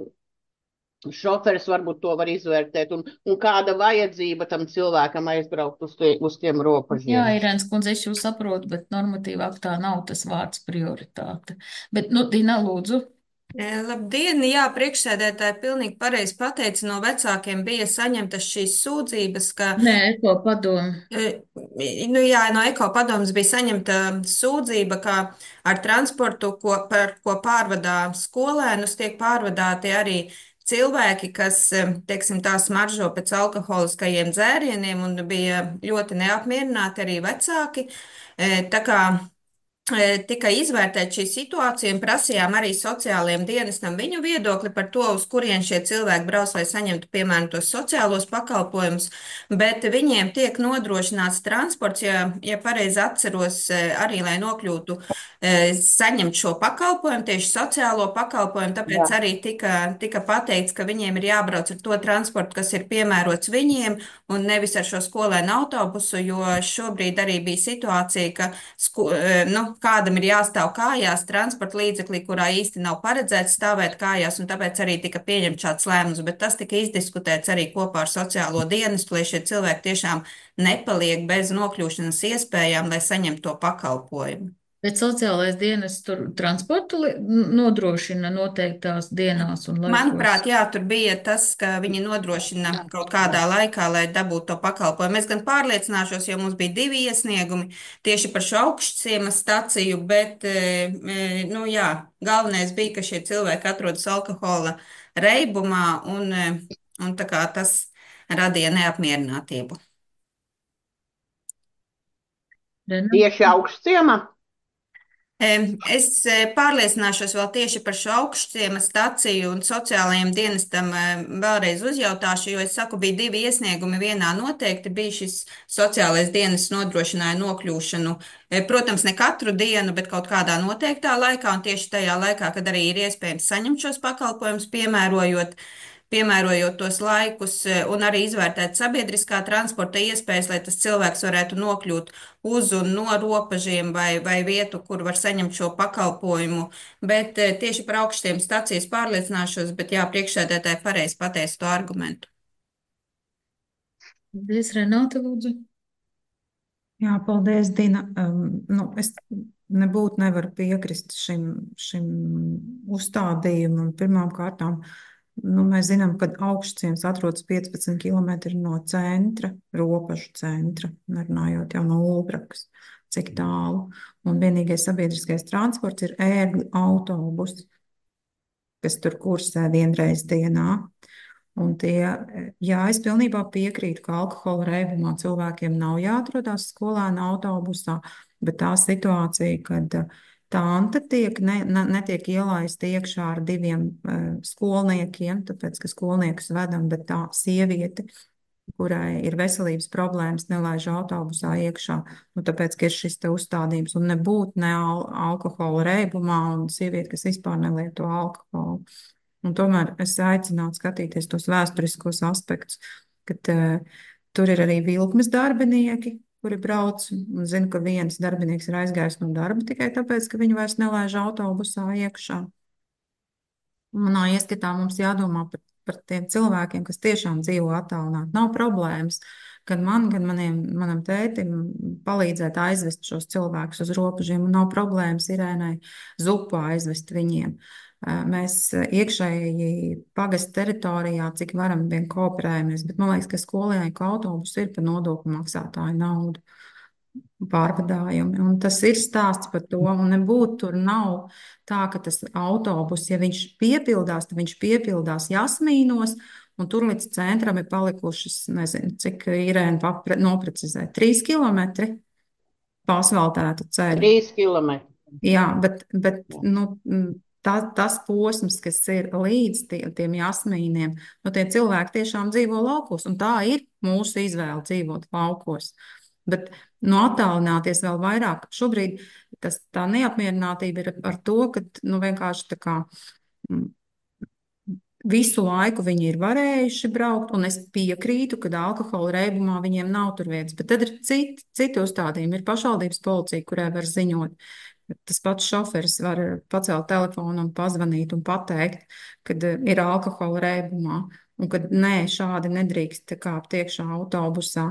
[SPEAKER 6] šoferis varbūt to var izvērtēt, un kāda vajadzība tam cilvēkam aizbraukt uz tiem
[SPEAKER 1] Jā,
[SPEAKER 6] robežiem.
[SPEAKER 1] Irēnas kundze, es jūs saprotu, bet normatīva aktā nav tas vārds prioritāte. Bet, Dina, lūdzu.
[SPEAKER 13] Labdien, jā, priekšsēdētāji pilnīgi pareizi pateica, no vecākiem bija saņemtas šīs sūdzības, ka,
[SPEAKER 1] Nē, Eko padomu.
[SPEAKER 13] jā, no Eko padomas bija saņemta sūdzība, ka ar transportu, ko pārvadā skolēnus, tiek pārvadāti arī cilvēki, kas, teiksim, tā smaržo pēc alkoholiskajiem dzērieniem, un bija ļoti neapmierināti arī vecāki. Tā kā tika izvērtēta šī situācija un prasījām arī sociālajiem dienestam viņu viedokli par to, uz kurien šie cilvēki brauc, lai saņemtu, piemēram, tos sociālos pakalpojumus, bet viņiem tiek nodrošināts transports, ja pareizi atceros, arī, lai nokļūtu, saņemt šo pakalpojumu, tieši sociālo pakalpojumu, tāpēc arī tika pateikts, ka viņiem ir jābrauc ar to transportu, kas ir piemērots viņiem, un nevis ar šo skolēnu autobusu, jo šobrīd arī bija situācija, ka kādam ir jāstāv kājās transporta līdzeklī, kurā īsti nav paredzēts stāvēt kājās, un tāpēc arī tika pieņemts šāds lēmums, bet tas tika izdiskutēts arī kopā ar sociālo dienestu, lai šie cilvēki tiešām nepaliek bez nokļūšanas iespējām, lai saņemtu to pakalpojumu.
[SPEAKER 1] Bet sociālais dienests tur transportu nodrošina noteiktās dienās un laikos.
[SPEAKER 13] Manuprāt, jā, tur bija tas, ka viņi nodrošina kaut kādā laikā, lai dabūtu to pakalpojumu. Es gan pārliecināšos, jo mums bija 2 iesniegumi tieši par šo augšciemas staciju, bet, jā, galvenais bija, ka šie cilvēki atrodas alkohola reibumā, un tā kā tas radīja neapmierinātību.
[SPEAKER 6] Tieši augšciemā?
[SPEAKER 13] Es pārliecināšos vēl tieši par šo augšciemas staciju un sociālajiem dienestam vēlreiz uzjautāšu, jo es saku, bija 2 iesniegumi, vienā noteikti bija šis sociālais dienests nodrošināja nokļūšanu, protams, ne katru dienu, bet kaut kādā noteiktā laikā, un tieši tajā laikā, kad arī ir iespējams saņemt šos pakalpojumus, piemērojot tos laikus un arī izvērtēt sabiedriskā transporta iespējas, lai tas cilvēks varētu nokļūt uz un no robežiem vai vietu, kur var saņemt šo pakalpojumu. Bet tieši par augšstiem stacijas pārliecināšos, bet jā, priekšsēdētāji pareizi pateica to argumentu.
[SPEAKER 1] Paldies, Renāte, lūdzu.
[SPEAKER 8] Jā, paldies, Dina. Es nebūtu nevaru piekrist šim uzstādījumam. Pirmām kārtām, mēs zinām, ka augšciems atrodas 15 km no centra, robežu centra, nerunājot jau no Ulbrakas, cik tālu. Un vienīgais sabiedriskais transports ir ērgļu autobus, kas tur kursē vienreiz dienā. Un es pilnībā piekrītu, ka alkohola reibumā cilvēkiem nav jāatrodās skolēna autobusā, bet tā situācija, kad tante netiek ielaista iekšā ar 2 skolniekiem, tāpēc, ka skolniekus vedam, bet tā sieviete, kurai ir veselības problēmas, nelaiž autobusā iekšā, tāpēc, ka ir šis te uzstādījums, un nebūtu ne alkohola reibumā, un sieviete, kas vispār nelieto alkoholu. Un tomēr es aicinātu skatīties tos vēsturiskos aspektus, kad tur ir arī vilkmes darbinieki, kuri brauc, un zinu, ka viens darbinieks ir aizgājis no darba tikai tāpēc, ka viņi vairs nelaiž autobusā iekšā. Manā ieskatā mums jādomā par tiem cilvēkiem, kas tiešām dzīvo attālināti. Nav problēmas, gan manam tētim palīdzēt aizvest šos cilvēkus uz robežiem, un nav problēmas Irēnai zupu aizvest viņiem. Mēs iekšēji pagasta teritorijā, cik varam, vien kooperējamies, bet man liekas, ka skolnieku autobus ir par nodokļu maksātāju naudu pārvadājumi. Un tas ir stāsts par to, un nebūtu tur nav tā, ka tas autobus, ja viņš piepildās, tad viņš piepildās Jasmīnos, un tur līdz centram ir palikušas, nezinu, cik Irēna noprecizē, 3 kilometri pa asfaltētu ceļu.
[SPEAKER 6] 3 kilometri.
[SPEAKER 8] Jā, bet tas posms, kas ir līdz tiem Jasmīniem, tie cilvēki tiešām dzīvo laukos, un tā ir mūsu izvēle dzīvot laukos. Bet attālināties vēl vairāk, šobrīd tā neapmierinātība ir ar to, ka vienkārši tā kā Visu laiku viņi ir varējuši braukt, un es piekrītu, ka alkohola reibumā viņiem nav tur vietas. Bet tad ir citi uzstādījumi. Ir pašvaldības policija, kurai var ziņot. Tas pats šoferis var pacelt telefonu un pazvanīt un pateikt, kad ir alkohola reibumā, un kad nē, šādi nedrīkst kāpt iekšā autobusā.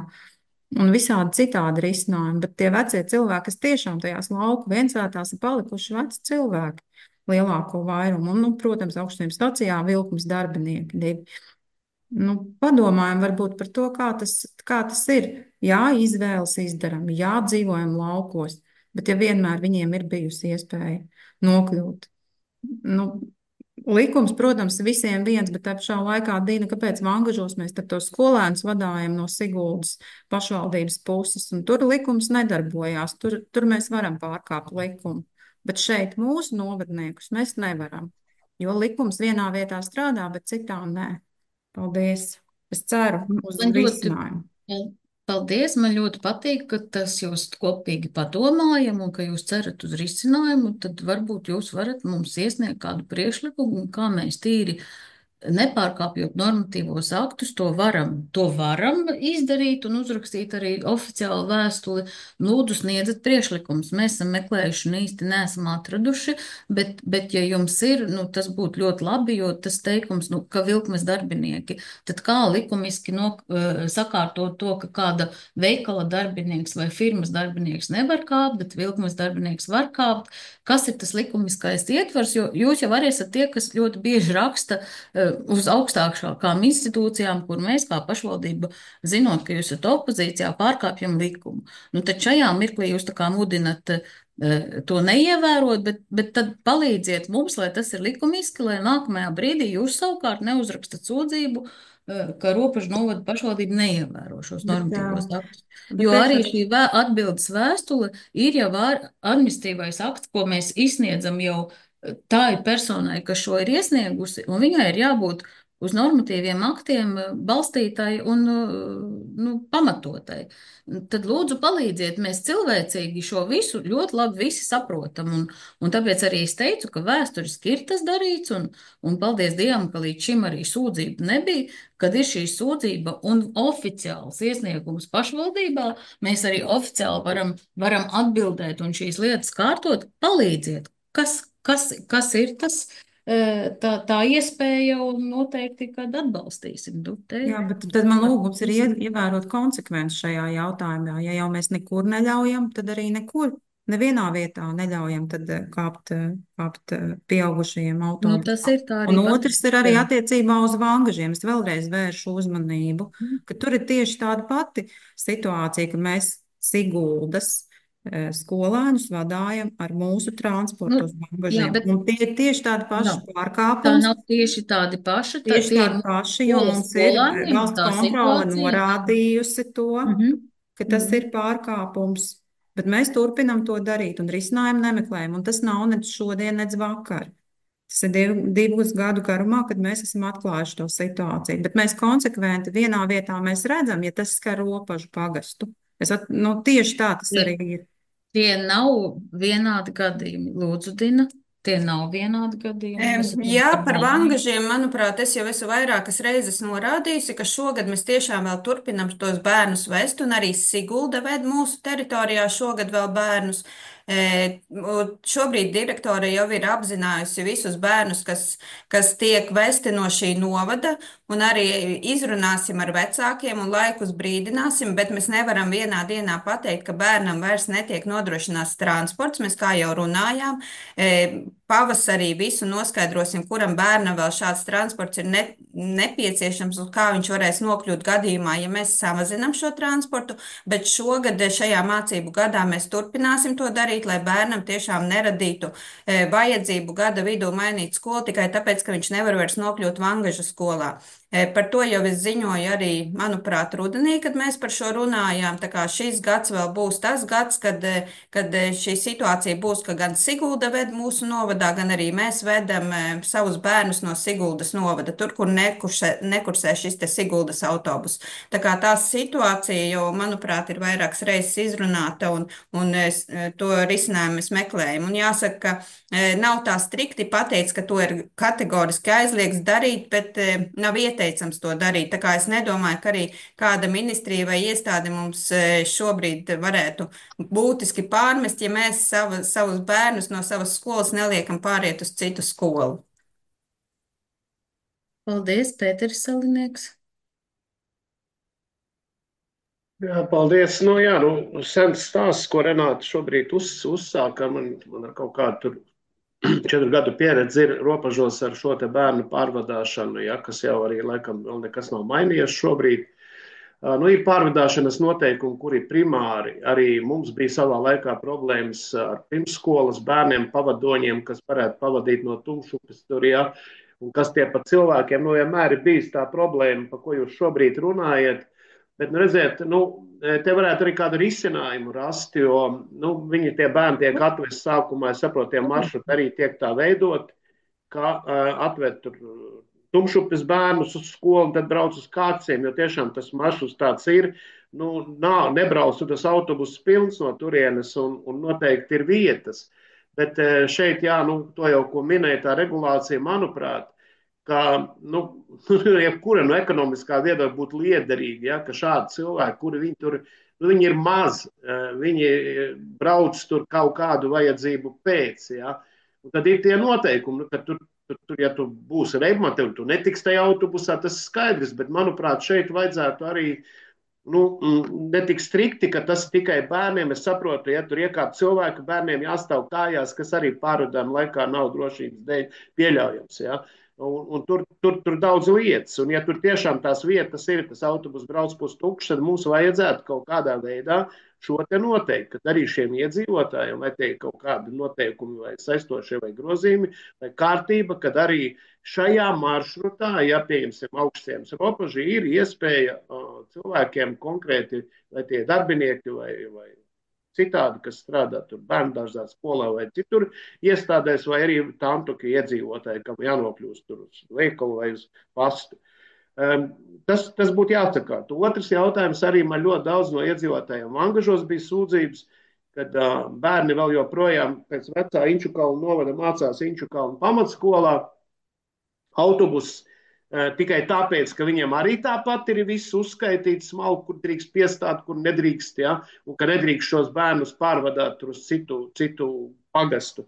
[SPEAKER 8] Un visādi citādi risinājumi. Bet tie vecie cilvēki, kas tiešām tajās lauku viensētās ir palikuši veci cilvēki, lielāko vairumu. Un, protams, augstiem stacijā vilkums darbinieki divi. Padomājam varbūt par to, kā tas ir. Jā, izvēles izdaram, jā, dzīvojam laukos, bet ja vienmēr viņiem ir bijusi iespēja nokļūt. Likums, protams, visiem viens, bet tā pašā laikā, Dīna, kāpēc Vangažos mēs tad tos skolēnus vadājam no Siguldas pašvaldības puses, un tur likums nedarbojās, tur mēs varam pārkāpt likumu. Bet šeit mūsu novadniekus mēs nevaram, jo likums vienā vietā strādā, bet citā nē. Paldies! Es ceru uz risinājumu.
[SPEAKER 1] Paldies! Man ļoti patīk, ka tas jūs kopīgi padomājam un ka jūs cerat uz risinājumu. Tad varbūt jūs varat mums iesniegt kādu priekšlikumu, kā mēs tīri nepārkāpjot normatīvos aktus, to varam izdarīt un uzrakstīt arī oficiālu vēstuli. Lūdzu, sniedziet priekšlikumus. Mēs esam meklējuši un īsti neesam atraduši, bet ja jums ir, tas būtu ļoti labi, jo tas teikums, ka vilkmes darbinieki, tad kā likumiski sakārtot to, ka kāda veikala darbinieks vai firmas darbinieks nevar kāpt, bet vilkmes darbinieks var kāpt. Kas ir tas likumiskais ietvars, jo jūs jau arī esat tie, kas ļoti bieži raksta uz augstākām institūcijām, kur mēs kā pašvaldība, zinot, ka jūs esat opozīcijā, pārkāpjam likumu. Tad šajā mirklī jūs tā kā mudinat to neievērot, bet tad palīdziet mums, lai tas ir likumiski, lai nākamajā brīdī jūs savukārt neuzrakstat sūdzību, ka Ropažu novada pašvaldība neievēro šos normatīvos aktus. Jo arī šī atbildes vēstule ir jau administratīvais akts, ko mēs izsniedzam jau tai personai, kas šo ir iesniegusi, un viņai ir jābūt uz normatīviem aktiem balstītai un pamatotai. Tad lūdzu palīdziet, mēs cilvēcīgi šo visu ļoti labi visi saprotam, un tāpēc arī es teicu, ka vēsturiski ir tas darīts, un paldies Dievam, ka līdz šim arī sūdzība nebija, kad ir šī sūdzība un oficiāls iesniegums pašvaldībā, mēs arī oficiāli varam atbildēt un šīs lietas kārtot, palīdziet. Kas ir tas, tā iespēja, un noteikti, kad atbalstīsim.
[SPEAKER 8] Jā, bet tad man lūgums ir ievērot konsekvenci šajā jautājumā. Ja jau mēs nekur neļaujam, tad arī nekur, nevienā vietā neļaujam tad kāpt pieaugušajiem autobusiem.
[SPEAKER 1] Tas ir tā arī.
[SPEAKER 8] Un otrs ir arī attiecībā uz Vangažiem. Es vēlreiz vēršu uzmanību, ka tur ir tieši tāda pati situācija, ka mēs Siguldas skolēnus vadājam ar mūsu transportu uz Vangažiem. Un tie ir tieši tādi paši pārkāpumi.
[SPEAKER 1] Tā nav tieši tādi paši.
[SPEAKER 8] Tieši tādi paši, jo mums ir valsts kontrole norādījusi to, ka tas ir pārkāpums. Bet mēs turpinam to darīt un risinājumu nemeklējam. Un tas nav nec šodien, nec vakar. Tas ir divus gadu garumā, kad mēs esam atklājuši to situāciju. Bet mēs konsekventi vienā vietā mēs redzam, ja tas skar Ropažu pagastu. Tieši tā tas arī ir.
[SPEAKER 1] Tie nav vienādi gadījumi. Lūdzu, Dina, tie nav vienādi gadījumi.
[SPEAKER 13] Jā, par Vangažiem, manuprāt, es jau esmu vairākas reizes norādījusi, ka šogad mēs tiešām vēl turpinam tos bērnus vest, un arī Sigulda ved mūsu teritorijā šogad vēl bērnus. Šobrīd direktore jau ir apzinājusi visus bērnus, kas tiek vesti no šī novada, un arī izrunāsim ar vecākiem un laikus brīdināsim, bet mēs nevaram vienā dienā pateikt, ka bērnam vairs netiek nodrošināts transports. Mēs kā jau runājām, pavasarī visu noskaidrosim, kuram bērnam vēl šāds transports ir nepieciešams un kā viņš varēs nokļūt gadījumā, ja mēs samazinam šo transportu, bet šogad šajā mācību gadā mēs turpināsim to darīt, lai bērnam tiešām neradītu vajadzību gada vidū mainīt skolu tikai tāpēc, ka viņš nevar vairs nokļūt Vangažu skolā. Par to jau es ziņoju arī, manuprāt, rudenī, kad mēs par šo runājām. Tā kā šis gads vēl būs tas gads, kad šī situācija būs, ka gan Sigulda ved mūsu novadā, gan arī mēs vedam savus bērnus no Siguldas novada, tur, kur nekursē šis te Siguldas autobus. Tā kā tā situācija jau, manuprāt, ir vairākas reizes izrunāta un to risinājumu mēs meklējam. Un jāsaka, ka nav tā strikti pateikts, ka to ir kategoriski aizliegts darīt, bet nav ieteicams to darīt. Tā kā es nedomāju, ka arī kāda ministrija vai iestāde mums šobrīd varētu būtiski pārmest, ja mēs savus bērnus no savas skolas neliekam pāriet uz citu skolu.
[SPEAKER 1] Paldies, Pēteris Salinieks.
[SPEAKER 2] Jā, paldies. Sens stāsts, ko Renāta šobrīd uzsāka, man ar kaut kādu tur 4 gadu pieredzi ir robežos ar šo te bērnu pārvadāšanu, ja, kas jau arī laikam vēl nekas nav mainījies šobrīd. Ir pārvadāšanas noteikumi, kuri primāri arī mums bija savā laikā problēmas ar pirmsskolas bērniem, pavadoņiem, kas varētu pavadīt no Tumšupes tur, ja, un kas tie pa cilvēkiem, vienmēr ir bijis tā problēma, pa ko jūs šobrīd runājat. Bet, redziet, te varētu arī kādu risinājumu rast, jo viņi tie bērni tiek atvest sākumā, es saprotu, tie maršruti arī tiek tā veidot, ka atved tur Tumšupes bērnus uz skolu, tad brauc uz Kāciem, jo tiešām tas maršruts tāds ir. Nebrauc tas autobus pilns no turienes un noteikti ir vietas. Bet šeit, to jau, ko minēja tā regulācija, manuprāt, ka jebkura no ekonomiskā viedokļa būtu liederīga, ja, ka šādi cilvēki, kuri viņi tur, viņi ir maz, viņi brauc tur kaut kādu vajadzību pēc, ja, un tad ir tie noteikumi, ka tur, ja tu būsi reibmatevi, tu netiks tajā autobusā, tas skaidrs, bet manuprāt šeit vajadzētu arī netik strikti, ka tas tikai bērniem, es saprotu, ja tur iekāp cilvēku, bērniem jāstāv kājās, kas arī pārvadājuma laikā nav drošības dēļ pieļaujams, ja. Un tur daudz lietas, un ja tur tiešām tās vietas ir, tas autobus brauc pustukšs, tad mums vajadzētu kaut kādā veidā šo te noteikt, kad arī šiem iedzīvotājiem vai tie kaut kādi noteikumi vai saistošie vai grozījumi vai kārtība, kad arī šajā maršrutā, ja pieņemsim augstiems robeži, ir iespēja cilvēkiem konkrēti, vai tie darbinieki vai citādi, kas strādā tur bērndārzā, skolā vai citur iestādēs, vai arī tantuki iedzīvotāji, kam jānokļūst tur uz veikalu vai uz pastu. Tas būtu jāatsakārt. Otrs jautājums arī man ļoti daudz no iedzīvotājiem Vangažos bija sūdzības, kad bērni vēl joprojām pēc vecā Inčukalna novada mācās Inčukalna pamatskolā. Autobus tikai tāpēc, ka viņiem arī tāpat ir viss uzskaitīts, smalki, kur drīkst piestāt, kur nedrīkst, ja, un ka nedrīkst šos bērnus pārvadāt uz citu pagastu.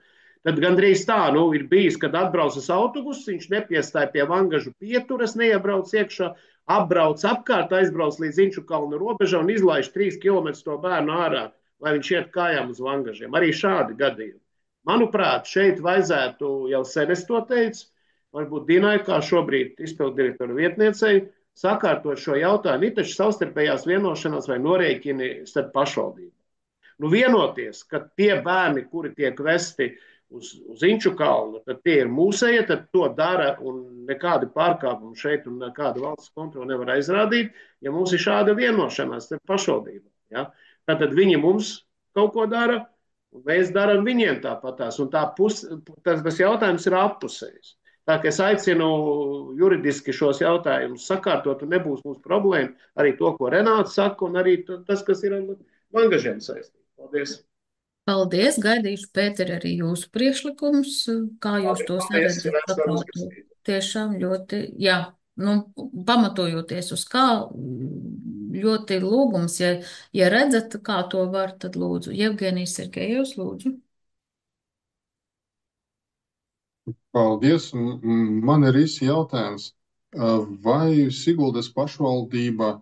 [SPEAKER 2] Tad gandrīz tā, ir bijis, kad atbraucas autobus, viņš nepiestāja pie Vangažu pieturas, neiebrauc iekšā, apbrauc apkārt, aizbrauc līdz Inčukalna robežā un izlaiž 3 km to bērnu ārā, lai viņš iet kājām uz Vangažiem. Arī šādi gadījumi. Manuprāt, šeit vajadzētu, jau sen es to teicu, varbūt Dinai, kā šobrīd izpilddirektora vietniecei, sakārtot šo jautājumu. Ir taču savstarpējās vienošanās vai norēķini starp pašvaldībām. Vienoties, ka tie bērni, kuri tiek vesti uz Inčukalnu, tad tie ir mūsēji, tad to dara un nekādi pārkāpumi šeit un nekāda valsts kontrola nevar aizrādīt, ja mums ir šāda vienošanās starp pašvaldībām. Ja? Tātad viņi mums kaut ko dara, un mēs darām viņiem tāpatās. Un tas jautājums ir appusējis. Tā kā es aicinu juridiski šos jautājumus sakārtot, un nebūs mums problēma arī to, ko Renāta saka, un arī tas, kas ir ar Vangažiem saistīts. Paldies!
[SPEAKER 1] Paldies! Gaidīšu, Pēteri, arī jūsu priekšlikums, kā jūs tos redzat sakārtot. Tiešām ļoti, jā, pamatojoties uz kā, ļoti lūgums, ja redzat, kā to var, tad lūdzu. Jevgenijs Sergejevs, lūdzu.
[SPEAKER 12] Paldies. Man ir īsi jautājums. Vai Siguldas pašvaldība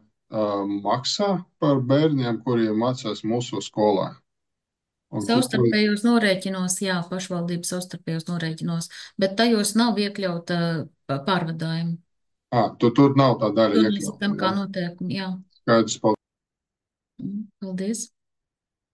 [SPEAKER 12] maksā par bērniem, kuriem mācās mūsu skolā?
[SPEAKER 1] Savstarpējos norēķinos, jā, pašvaldības savstarpējos norēķinos, bet tajos nav iekļauta pārvadājuma.
[SPEAKER 12] Tur nav tā daļa
[SPEAKER 1] Tur
[SPEAKER 12] iekļauta.
[SPEAKER 1] tam kā noteikumi, jā.
[SPEAKER 12] Skaidrs, paldies.
[SPEAKER 1] Paldies.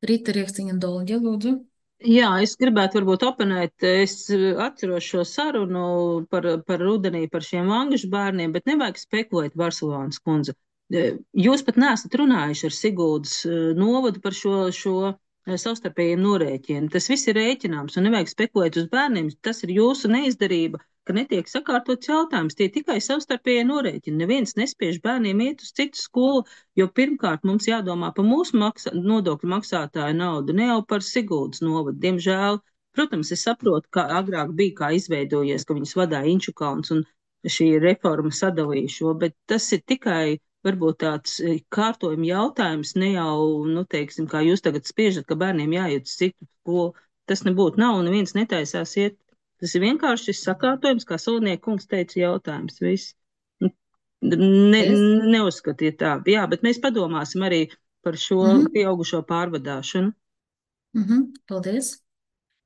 [SPEAKER 1] Rīta Riekstiņa Dolģa, lūdzu.
[SPEAKER 5] Jā, es gribētu varbūt oponēt. Es atceros šo sarunu par rudenī, par šiem angļu bērniem, bet nevajag spekulēt, Barcelonas kundze. Jūs pat neesat runājuši ar Siguldas novadu par šo savstarpējiem norēķiem. Tas viss ir rēķināms un nevajag spekulēt uz bērniem. Tas ir jūsu neizdarība, ka netiek sakārtots jautājums. Tie tikai savstarpējie norēķini. Neviens nespiež bērniem iet uz citu skolu, jo pirmkārt mums jādomā par mūsu nodokļu maksātāju naudu, ne jau par Siguldas novadu. Diemžēl, protams, es saprotu, ka agrāk bija kā izveidojies, ka viņus vadīja Inčukalns un šī reforma sadalīja šo, bet tas ir tikai varbūt tāds kārtojuma jautājums, ne jau, nu, teiksim, kā jūs tagad spiežat, ka bērniem jāiet uz citu skolu. Tas nebūtu nav, un neviens netaisās iet. Tas ir vienkārši šis sakārtojums, kā Solnieka kungs teica, jautājums. Viss. Neuzskatiet tā. Jā, bet mēs padomāsim arī par šo pieaugušo pārvadāšanu.
[SPEAKER 1] Paldies.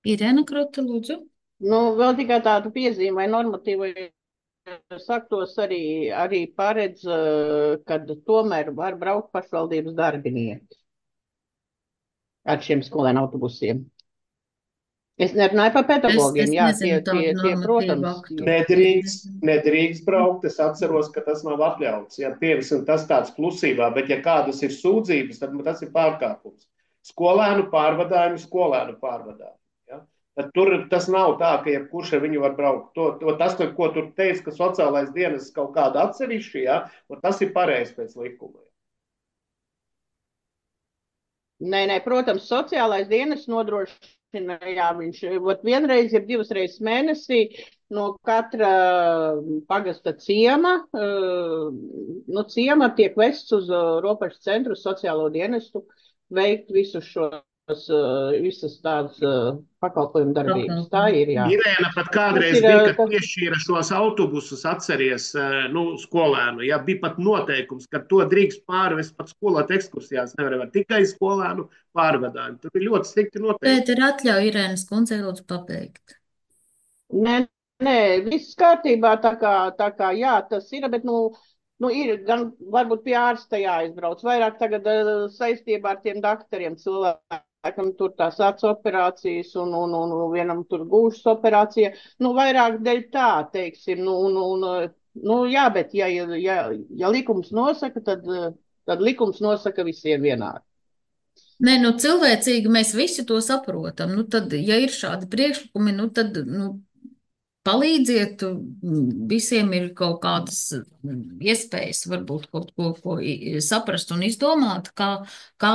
[SPEAKER 1] Irēna Krote, lūdzu.
[SPEAKER 6] Nu, vēl tikai tādu piezīmi vai normatīvai saktos arī paredz, kad tomēr var braukt pašvaldības darbinieki ar šiem skolēnu autobusiem. Es nerunāju par pedagogiem, jā, tie, protams.
[SPEAKER 2] Nedrīkst braukt, es atceros, ka tas nav atļauts. Ja pievisam tas tāds klusībā, bet ja kādas ir sūdzības, tad tas ir pārkāpums. Skolēnu pārvadājumi. Ja? Tad tur tas nav tā, ka jebkurš ar viņu var braukt. Tas, ko tur teica, ka sociālais dienas kaut kāda atsevišķi, ja? Tas ir pareizi pēc likuma.
[SPEAKER 6] Nē, protams, sociālais dienas nodrošina. Jā, viņš vienreiz, ja divas reizes mēnesī no katra pagasta ciema, ciema tiek vests uz robežu centru sociālo dienestu veikt visus visas tādas pakalpojumu darbības. Tā ir, jā.
[SPEAKER 2] Irēna pat kādreiz bija, kad piešķīra šos autobusus, atceries, skolēnu. Jā, bija pat noteikums, ka to drīkst pārvest pat skolot ekskursijās, nevar tikai skolēnu pārvadājumu. Tur bija ļoti strikti noteikumi.
[SPEAKER 1] Pēter, atļauj Irēnas kundzei lūdzu pabeigt.
[SPEAKER 6] Nē, viss kārtībā, tā kā jā, tas ir, bet, ir gan varbūt pie ārsta jāizbrauc, vairāk tagad saistībā ar tiem daktariem cilvēkiem. Tur tās acu operācijas un vienam tur gūšas operācija. Vairāk dēļ tā, teiksim. Jā, bet ja likums nosaka, tad likums nosaka visiem vienādi.
[SPEAKER 1] Nē, cilvēcīgi mēs visi to saprotam. Tad, ja ir šādi priekšlikumi, tad palīdziet, visiem ir kaut kādas iespējas, varbūt kaut ko saprast un izdomāt, kā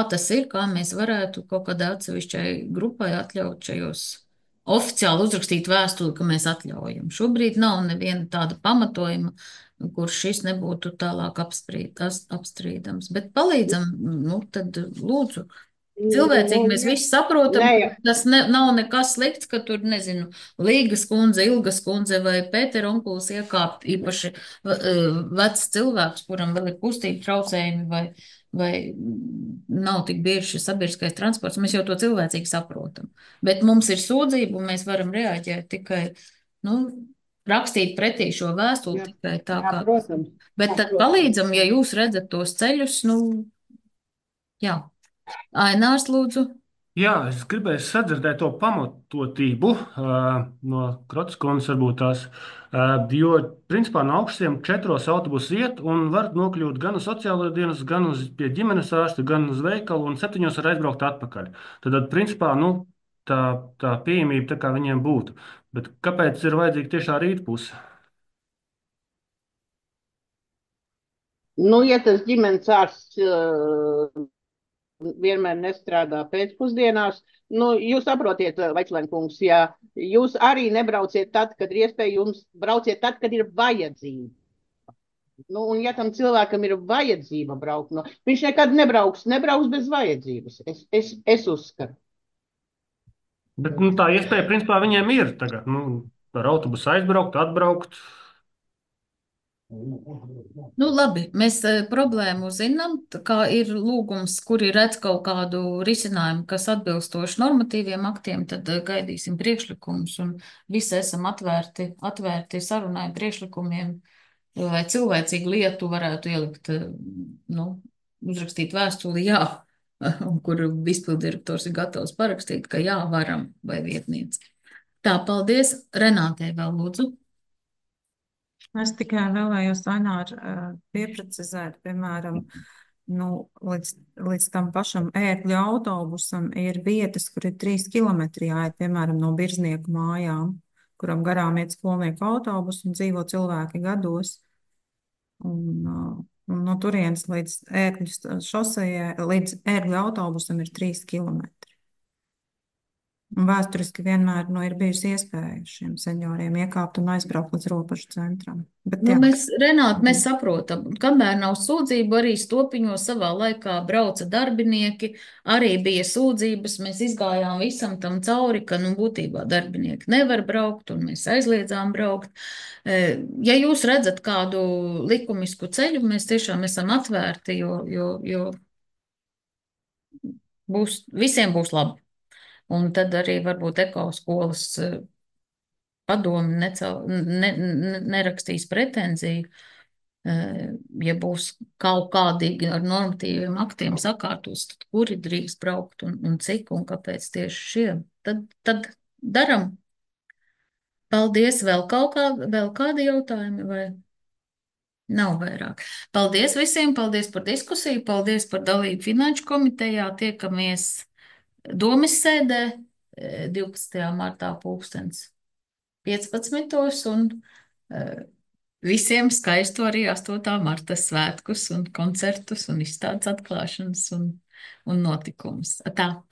[SPEAKER 1] tas ir, kā mēs varētu kaut kādai atsevišķai grupai atļaut šajos oficiāli uzrakstīt vēstuli, ka mēs atļaujam. Šobrīd nav neviena tāda pamatojuma, kur šis nebūtu tālāk apstrīdams. Bet palīdzam, tad lūdzu. Cilvēcīgi mēs visi saprotam, ka tas nav nekas slikts, ka tur, nezinu, Līgas kundze, Ilgas kundze vai Pētera onkulis iekāpt īpaši vecs cilvēks, kuram vēl ir kustību traucējumi vai nav tik bieži šis sabiedriskais transports. Mēs jau to cilvēcīgi saprotam. Bet mums ir sūdzība un mēs varam reaģēt tikai, rakstīt pretī šo vēstuli tikai tā kā.
[SPEAKER 6] Protams.
[SPEAKER 1] Bet tad palīdzam, ja jūs redzat tos ceļus, jā. Ainārs, lūdzu.
[SPEAKER 15] Jā, es gribēju sadzirdēt to pamatotību no Krotes kundzes varbūt tās, jo, principā, no augšiem 4 autobusu iet un var nokļūt gan uz sociālo dienas, gan pie ģimenes ārsta, gan uz veikalu un 7 var aizbraukt atpakaļ. Tad, principā, tā pieejamība tā kā viņiem būtu. Bet kāpēc ir vajadzīga tiešā rītpuse?
[SPEAKER 6] Ja tas ģimenes ārsts vienmēr nestrādā pēcpusdienās. Jūs saprotiet, Vaičlenkungs, ja jūs arī nebrauciet tad, kad ir iespēja, jums brauciet tad, kad ir vajadzība. Un ja tam cilvēkam ir vajadzība braukt, viņš nekad nebrauks bez vajadzības. Es uzskatu.
[SPEAKER 15] Bet tā iespēja, principā, viņiem ir tagad. Ar autobusu aizbraukt, atbraukt.
[SPEAKER 1] Labi, mēs problēmu zinām, kā ir lūgums, kuri redz kaut kādu risinājumu, kas atbilstoši normatīviem aktiem, tad gaidīsim priekšlikumus un visi esam atvērti sarunai priekšlikumiem, lai cilvēcīgu lietu varētu ielikt, uzrakstīt vēstuli, jā, un kur izpildirektors ir gatavs parakstīt, ka jā, varam, vai vietniece. Tā, paldies. Renātei vēl lūdzu.
[SPEAKER 8] Es tikai vēlējos, Ainār, pieprecizēt, piemēram, līdz tam pašam ērgļu autobusam ir vietas, kur ir 3 kilometri jāiet, piemēram, no Birznieku mājām, kuram garām iet skolnieku autobus un dzīvo cilvēki gados. Un no turienes līdz ērgļu šosejai, līdz ērgļu autobusam ir 3 kilometri. Un vēsturiski vienmēr ir bijusi iespēja šiem senioriem iekāpt un aizbraukt līdz robežu centram. Bet, jā.
[SPEAKER 1] Renāt, mēs saprotam, kamēr nav sūdzību, arī Stopiņos savā laikā brauca darbinieki, arī bija sūdzības, mēs izgājām visam tam cauri, ka, būtībā darbinieki nevar braukt, un mēs aizliedzām braukt. Ja jūs redzat kādu likumisku ceļu, mēs tiešām esam atvērti, jo visiem būs labi. Un tad arī varbūt ekoskolas padomi nerakstīs pretenziju, ja būs kaut kādīgi ar normatīviem aktiem sakārtos, tad kuri drīkst braukt un cik un kāpēc tieši šie. Tad daram. Paldies. Vēl kādi jautājumi vai? Nav vairāk. Paldies visiem, paldies par diskusiju, paldies par dalību Finanšu komitejā. Tiekamies Domes sēdē 12. martā 15. un visiem skaistu arī 8. marta svētkus un koncertus un izstādes atklāšanas un notikumus. Tā.